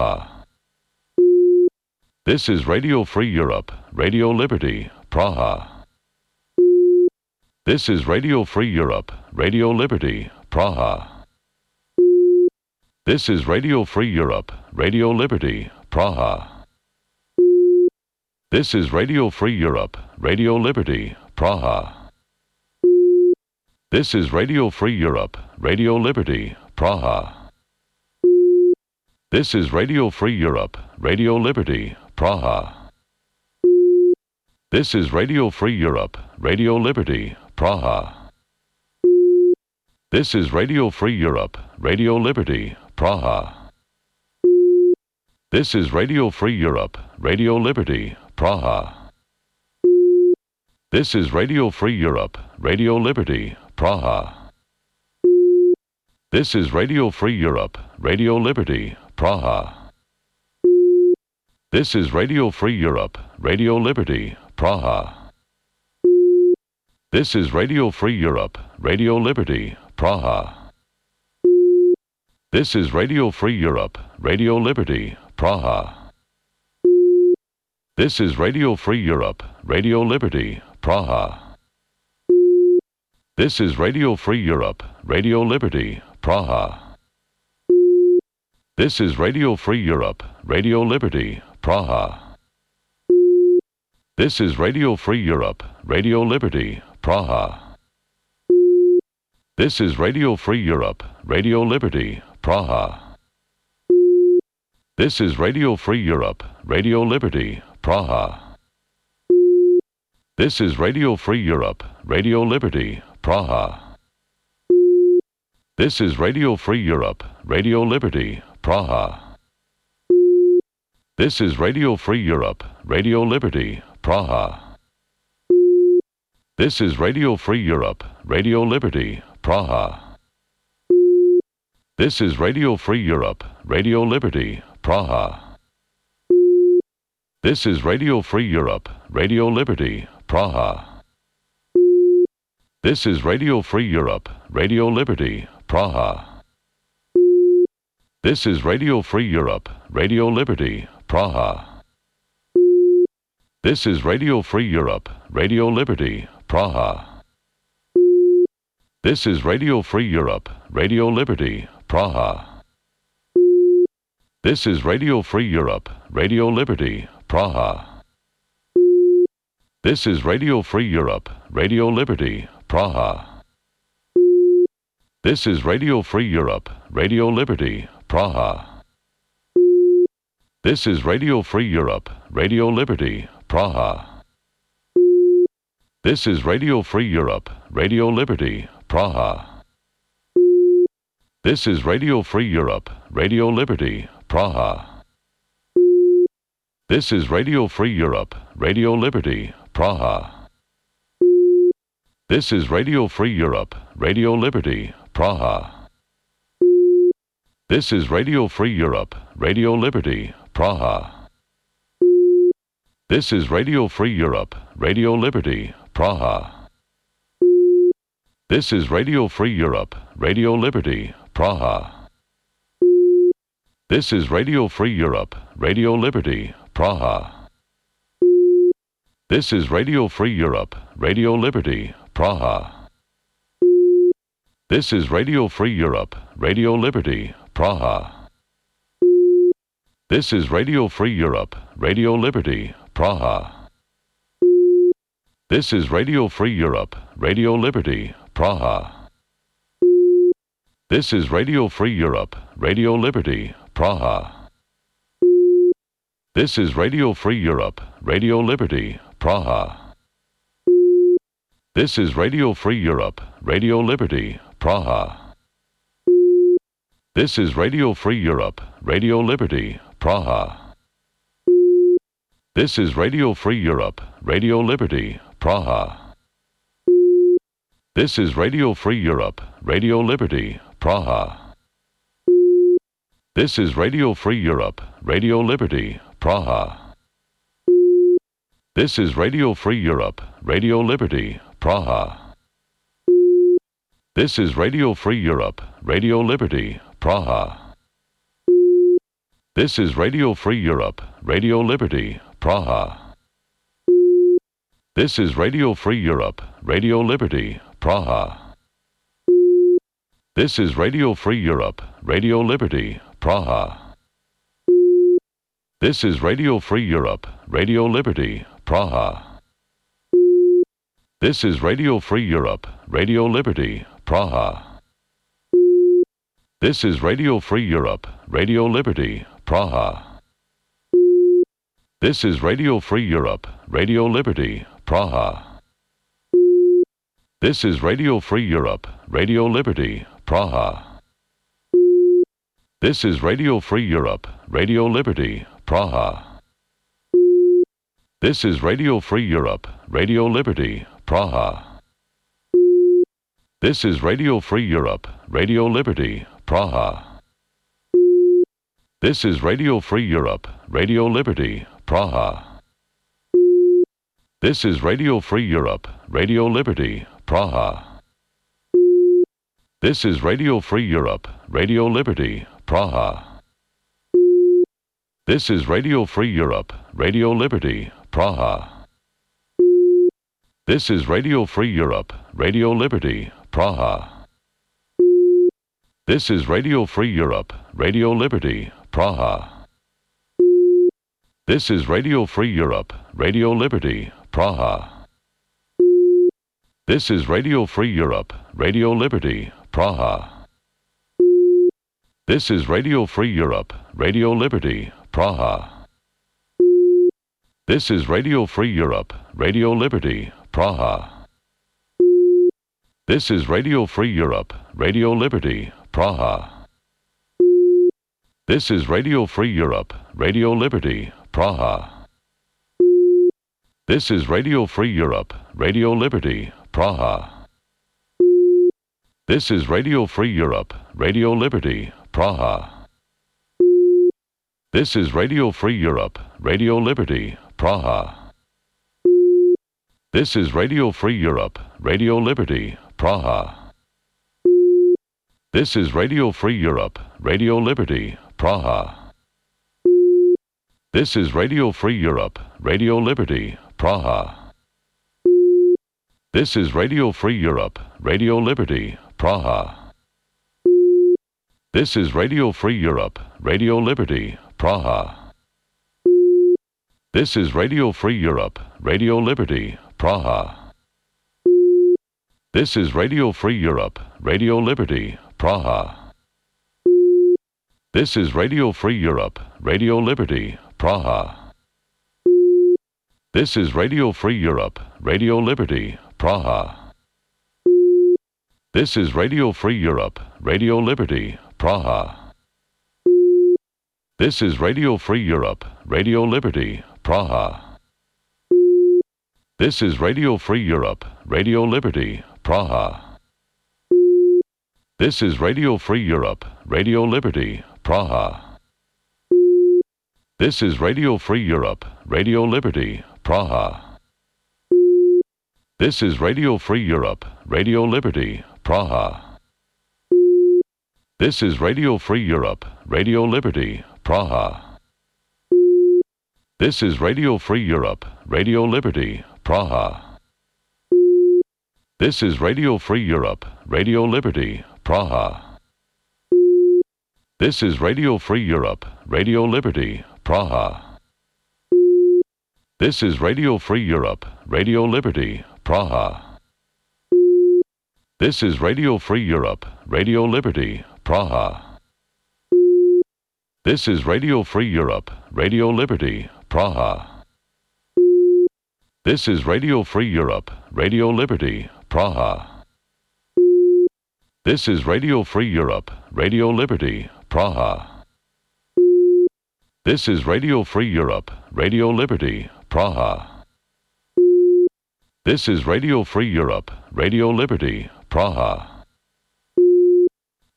Speaker 4: This is Radio Free Europe, Radio Liberty, Praha. This is Radio Free Europe, Radio Liberty, Praha. This is Radio Free Europe, Radio Liberty, Praha. This is Radio Free Europe, Radio Liberty, Praha. This is Radio Free Europe, Radio Liberty, Praha. This is Radio Free Europe, Radio Liberty, Praha. This is Radio Free Europe, Radio Liberty, Praha. This is Radio Free Europe, Radio Liberty, Praha. This is Radio Free Europe, Radio Liberty, Praha. This is Radio Free Europe, Radio Liberty, Praha. This is Radio Free Europe, Radio Liberty, Praha. This is Radio Free Europe, Radio Liberty, Praha. This is Radio Free Europe, Radio Liberty, Praha. This is Radio Free Europe, Radio Liberty, Praha. This is Radio Free Europe, Radio Liberty, Praha. This is Radio Free Europe, Radio Liberty, Praha. This is Radio Free Europe, Radio Liberty, Praha. This is Radio Free Europe, Radio Liberty, Praha. This is Radio Free Europe, Radio Liberty, Praha. This is Radio Free Europe, Radio Liberty, Praha. This is Radio Free Europe, Radio Liberty, Praha. This is Radio Free Europe, Radio Liberty, Praha. This is Radio Free Europe, Radio Liberty, Praha. This is Radio Free Europe, Radio Liberty, Praha. This is Radio Free Europe, Radio Liberty, Praha. This is Radio Free Europe, Radio Liberty, Praha. This is Radio Free Europe, Radio Liberty, Praha. This is Radio Free Europe, Radio Liberty, Praha. This is Radio Free Europe, Radio Liberty, Praha. This is Radio Free Europe, Radio Liberty, Praha. This is Radio Free Europe, Radio Liberty, Praha. This is Radio Free Europe, Radio Liberty, Praha. This is Radio Free Europe, Radio Liberty, Praha. This is Radio Free Europe, Radio Liberty, Praha. This is Radio Free Europe, Radio Liberty, Praha. This is Radio Free Europe, Radio Liberty, Praha. This is Radio Free Europe, Radio Liberty, Praha. This is Radio Free Europe, Radio Liberty, Praha. This is Radio Free Europe, Radio Liberty, Praha. This is Radio Free Europe, Radio Liberty, Praha. This is Radio Free Europe, Radio Liberty, Praha. This is Radio Free Europe, Radio Liberty, Praha. This is Radio Free Europe, Radio Liberty, Praha. This is Radio Free Europe, Radio Liberty, Praha. This is Radio Free Europe, Radio Liberty, Praha. This is Radio Free Europe, Radio Liberty, Praha. This is Radio Free Europe, Radio Liberty, Praha. This is Radio Free Europe, Radio Liberty, Praha. This is Radio Free Europe, Radio Liberty, Praha. This is Radio Free Europe, Radio Liberty, Praha. This is Radio Free Europe, Radio Liberty, Praha. This is Radio Free Europe, Radio Liberty, Praha. This is Radio Free Europe, Radio Liberty, Praha. This is Radio Free Europe, Radio Liberty, Praha. This is Radio Free Europe, Radio Liberty, Praha. This is Radio Free Europe, Radio Liberty, Praha. This is Radio Free Europe, Radio Liberty, Praha. This is Radio Free Europe, Radio Liberty, Praha. This is Radio Free Europe, Radio Liberty, Praha. This is Radio Free Europe, Radio Liberty, Praha. This is Radio Free Europe, Radio Liberty, Praha. This is Radio Free Europe, Radio Liberty, Praha. This is Radio Free Europe, Radio Liberty, Praha. This is Radio Free Europe, Radio Liberty, Praha. This is Radio Free Europe, Radio Liberty, Praha. This is Radio Free Europe, Radio Liberty, Praha. This is Radio Free Europe, Radio Liberty, Praha. This is Radio Free Europe, Radio Liberty, Praha. This is Radio Free Europe, Radio Liberty, Praha. This is Radio Free Europe, Radio Liberty, Praha. This is Radio Free Europe, Radio Liberty, Praha. This is Radio Free Europe, Radio Liberty, Praha. This is Radio Free Europe, Radio Liberty, Praha. This is Radio Free Europe, Radio Liberty, Praha. This is Radio Free Europe, Radio Liberty, Praha. This is Radio Free Europe, Radio Liberty, Praha. This is Radio Free Europe, Radio Liberty, Praha. This is Radio Free Europe, Radio Liberty, Praha. This is Radio Free Europe, Radio Liberty, Praha. This is Radio Free Europe, Radio Liberty, Praha. This is Radio Free Europe, Radio Liberty, Praha. This is Radio Free Europe, Radio Liberty, Praha. This is Radio Free Europe, Radio Liberty, Praha. This is Radio Free Europe, Radio Liberty, Praha. This is Radio Free Europe, Radio Liberty, Praha. This is Radio Free Europe, Radio Liberty, Praha. This is Radio Free Europe, Radio Liberty, Praha. This is Radio Free Europe, Radio Liberty, Praha. This is Radio Free Europe, Radio Liberty, Praha. This is Radio Free Europe, Radio Liberty, Praha. This is Radio Free Europe, Radio Liberty, Praha. This is Radio Free Europe, Radio Liberty, Praha. This is Radio Free Europe, Radio Liberty, Praha. This is Radio Free Europe, Radio Liberty, Praha. This is Radio Free Europe, Radio Liberty, Praha. This is Radio Free Europe, Radio Liberty, Praha. This is Radio Free Europe, Radio Liberty, Praha. This is Radio Free Europe, Radio Liberty, Praha. This is Radio Free Europe, Radio Liberty, Praha. This is Radio Free Europe, Radio Liberty, Praha. This is Radio Free Europe, Radio Liberty, Praha. This is Radio Free Europe, Radio Liberty, Praha. This is Radio Free Europe, Radio Liberty, Praha. This is Radio Free Europe, Radio Liberty, Praha. This is Radio Free Europe, Radio Liberty, Praha. This is Radio Free Europe, Radio Liberty, Praha. This is Radio Free Europe, Radio Liberty, Praha.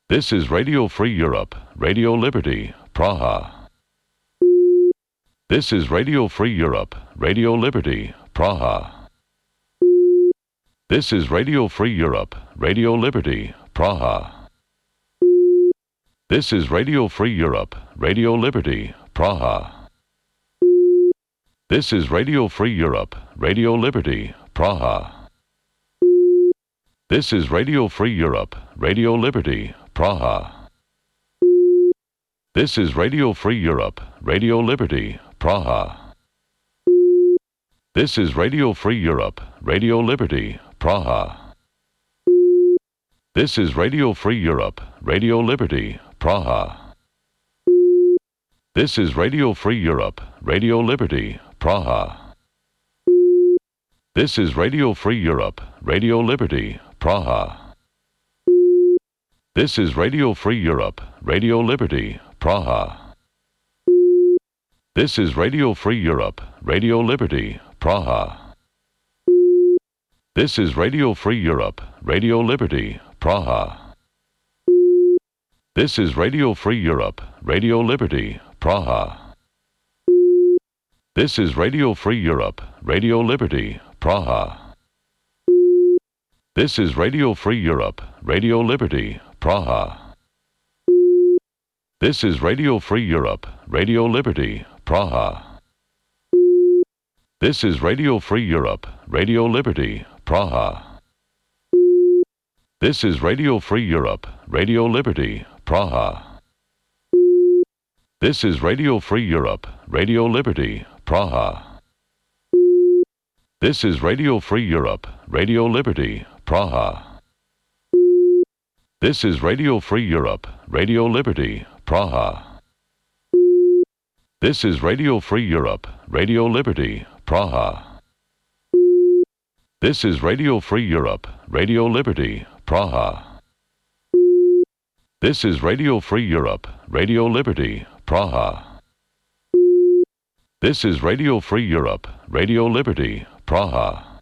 Speaker 4: This is Radio Free Europe, Radio Liberty, Praha. This is Radio Free Europe, Radio Liberty, Praha. This is Radio Free Europe, Radio Liberty, Praha. This is Radio Free Europe, Radio Liberty, Praha. This is Radio Free Europe, Radio Liberty, Praha. This is Radio Free Europe, Radio Liberty, Praha. This is Radio Free Europe, Radio Liberty, Praha. This is Radio Free Europe, Radio Liberty, Praha. This is Radio Free Europe, Radio Liberty, Praha. This is Radio Free Europe, Radio Liberty, Praha. This is Radio Free Europe, Radio Liberty, Praha. This is Radio Free Europe, Radio Liberty, Praha. This is Radio Free Europe, Radio Liberty, Praha. This is Radio Free Europe, Radio Liberty, Praha. This is Radio Free Europe, Radio Liberty, Praha. This is Radio Free Europe, Radio Liberty, Praha. This is Radio Free Europe, Radio Liberty, Praha. This is Radio Free Europe, Radio Liberty, Praha. This is Radio Free Europe, Radio Liberty, Praha. This is Radio Free Europe, Radio Liberty, Praha. This is Radio Free Europe, Radio Liberty, Praha. This is Radio Free Europe, Radio Liberty, Praha. This is Radio Free Europe, Radio Liberty, Praha. This is Radio Free Europe, Radio Liberty, Praha. This is Radio Free Europe, Radio Liberty, Praha. This is Radio Free Europe, Radio Liberty, Praha. This is Radio Free Europe, Radio Liberty, Praha.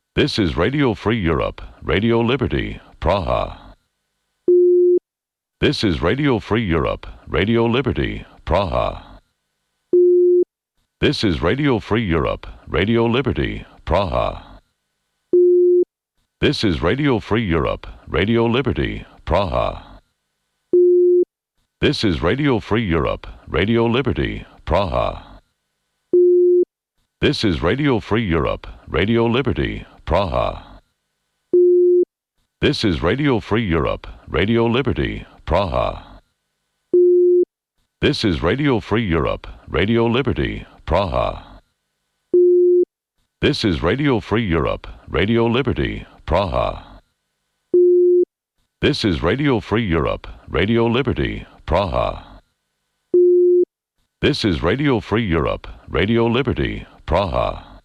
Speaker 4: This is Radio Free Europe, Radio Liberty, Praha. This is Radio Free Europe, Radio Liberty, Praha. This is Radio Free Europe, Radio Liberty, Praha. This is Radio Free Europe, Radio Liberty, Praha. This is Radio Free Europe, Radio Liberty, Praha. This is Radio Free Europe, Radio Liberty, Praha. This is Radio Free Europe, Radio Liberty, Praha. This is Radio Free Europe, Radio Liberty, Praha. This is Radio Free Europe, Radio Liberty, Praha. This is Radio Free Europe, Radio Liberty, Praha. This is Radio Free Europe, Radio Liberty, Praha.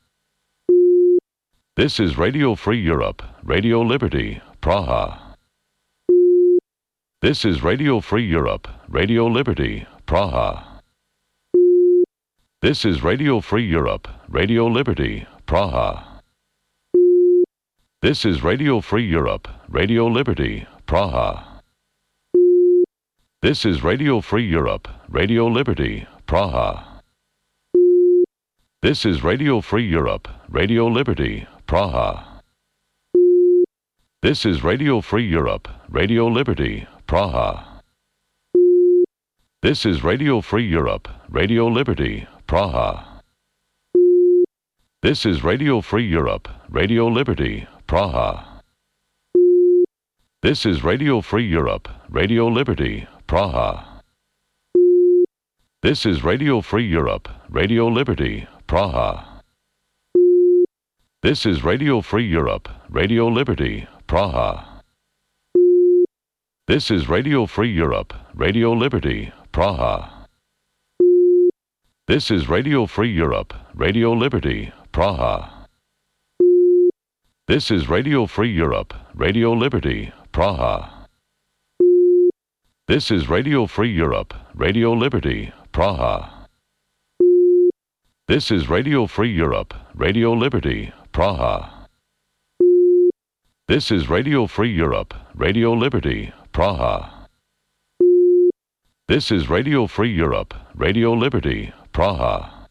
Speaker 4: This is Radio Free Europe, Radio Liberty, Praha. This is Radio Free Europe, Radio Liberty, Praha. This is Radio Free Europe, Radio Liberty, Praha. This is Radio Free Europe, Radio Liberty, Praha. This is Radio Free Europe, Radio Liberty, Praha. This is Radio Free Europe, Radio Liberty, Praha. This is Radio Free Europe, Radio Liberty, Praha. This is Radio Free Europe, Radio Liberty, Praha. This is Radio Free Europe, Radio Liberty, Praha. This is Radio Free Europe, Radio Liberty, Praha. This is Radio Free Europe, Radio Liberty, Praha. This is Radio Free Europe, Radio Liberty, Praha. This is Radio Free Europe, Radio Liberty, Praha. This is Radio Free Europe, Radio Liberty, Praha. This is Radio Free Europe, Radio Liberty, Praha. This is Radio Free Europe, Radio Liberty, Praha. This is Radio Free Europe, Radio Liberty, Praha. This is Radio Free Europe, Radio Liberty, Praha. This is Radio Free Europe, Radio Liberty, Praha.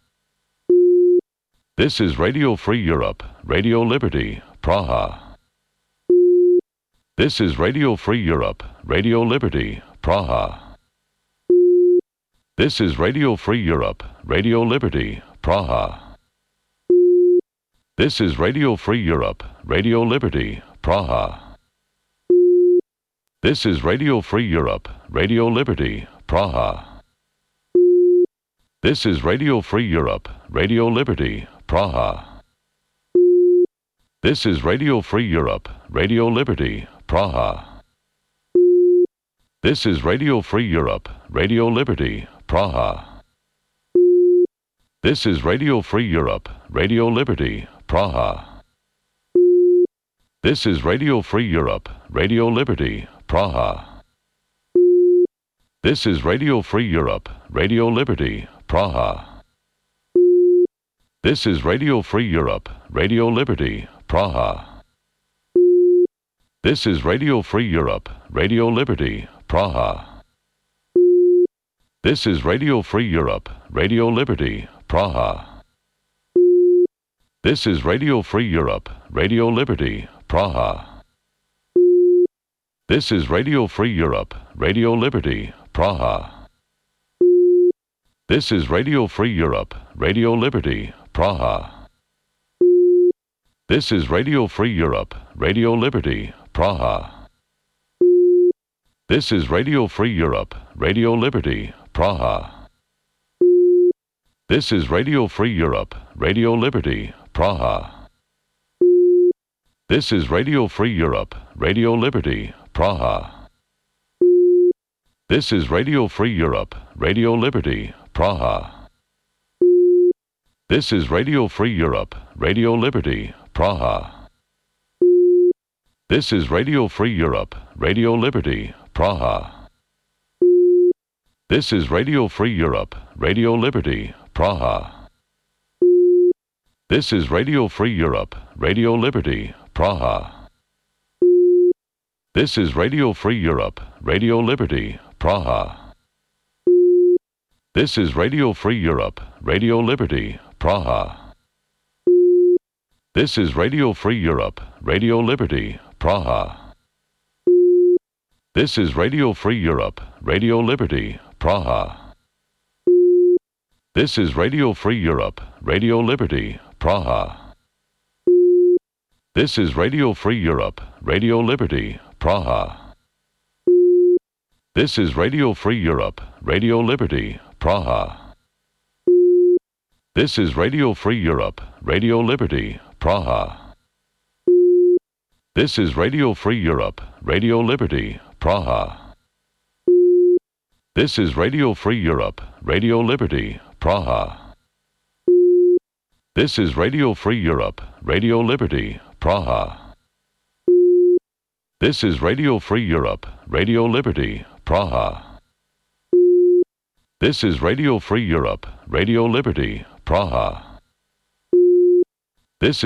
Speaker 4: This is Radio Free Europe, Radio Liberty, Praha. This is Radio Free Europe, Radio Liberty, Praha. This is Radio Free Europe, Radio Liberty, Praha. This is Radio Free Europe, Radio Liberty, Praha. This is Radio Free Europe, Radio Liberty, Praha. This is Radio Free Europe, Radio Liberty, Praha. This is Radio Free Europe, Radio Liberty, Praha. This is Radio Free Europe, Radio Liberty, Praha. This is Radio Free Europe, Radio Liberty, Praha. This is Radio Free Europe, Radio Liberty, Praha. This is Radio Free Europe, Radio Liberty, Praha. This is Radio Free Europe, Radio Liberty, Praha. This is Radio Free Europe, Radio Liberty, Praha. This is Radio Free Europe, Radio Liberty, Praha. This is Radio Free Europe, Radio Liberty, Praha. This is Radio Free Europe, Radio Liberty, Praha. This is Radio Free Europe, Radio Liberty, Praha. This is Radio Free Europe, Radio Liberty, Praha. This is Radio Free Europe, Radio Liberty, Praha. This is Radio Free Europe, Radio Liberty, Praha. This is Radio Free Europe, Radio Liberty, Praha. This is Radio Free Europe, Radio Liberty, Praha. This is Radio Free Europe, Radio Liberty, Praha. This is Radio Free Europe, Radio Liberty, Praha. This is Radio Free Europe, Radio Liberty, Praha. This is Radio Free Europe, Radio Liberty, Praha. This is Radio Free Europe, Radio Liberty, Praha. This is Radio Free Europe, Radio Liberty, Praha. This is Radio Free Europe, Radio Liberty, Praha. This is Radio Free Europe, Radio Liberty, Praha. This is Radio Free Europe, Radio Liberty, Praha. This is Radio Free Europe, Radio Liberty, Praha. This is Radio Free Europe, Radio Liberty, Praha. This is Radio Free Europe, Radio Liberty, Praha. This is Radio Free Europe, Radio Liberty, Praha. This is Radio Free Europe, Radio Liberty, Praha. This is Radio Free Europe, Radio Liberty, Praha. This is Radio Free Europe, Radio Liberty, Praha. This is Radio Free Europe, Radio Liberty, Praha. This is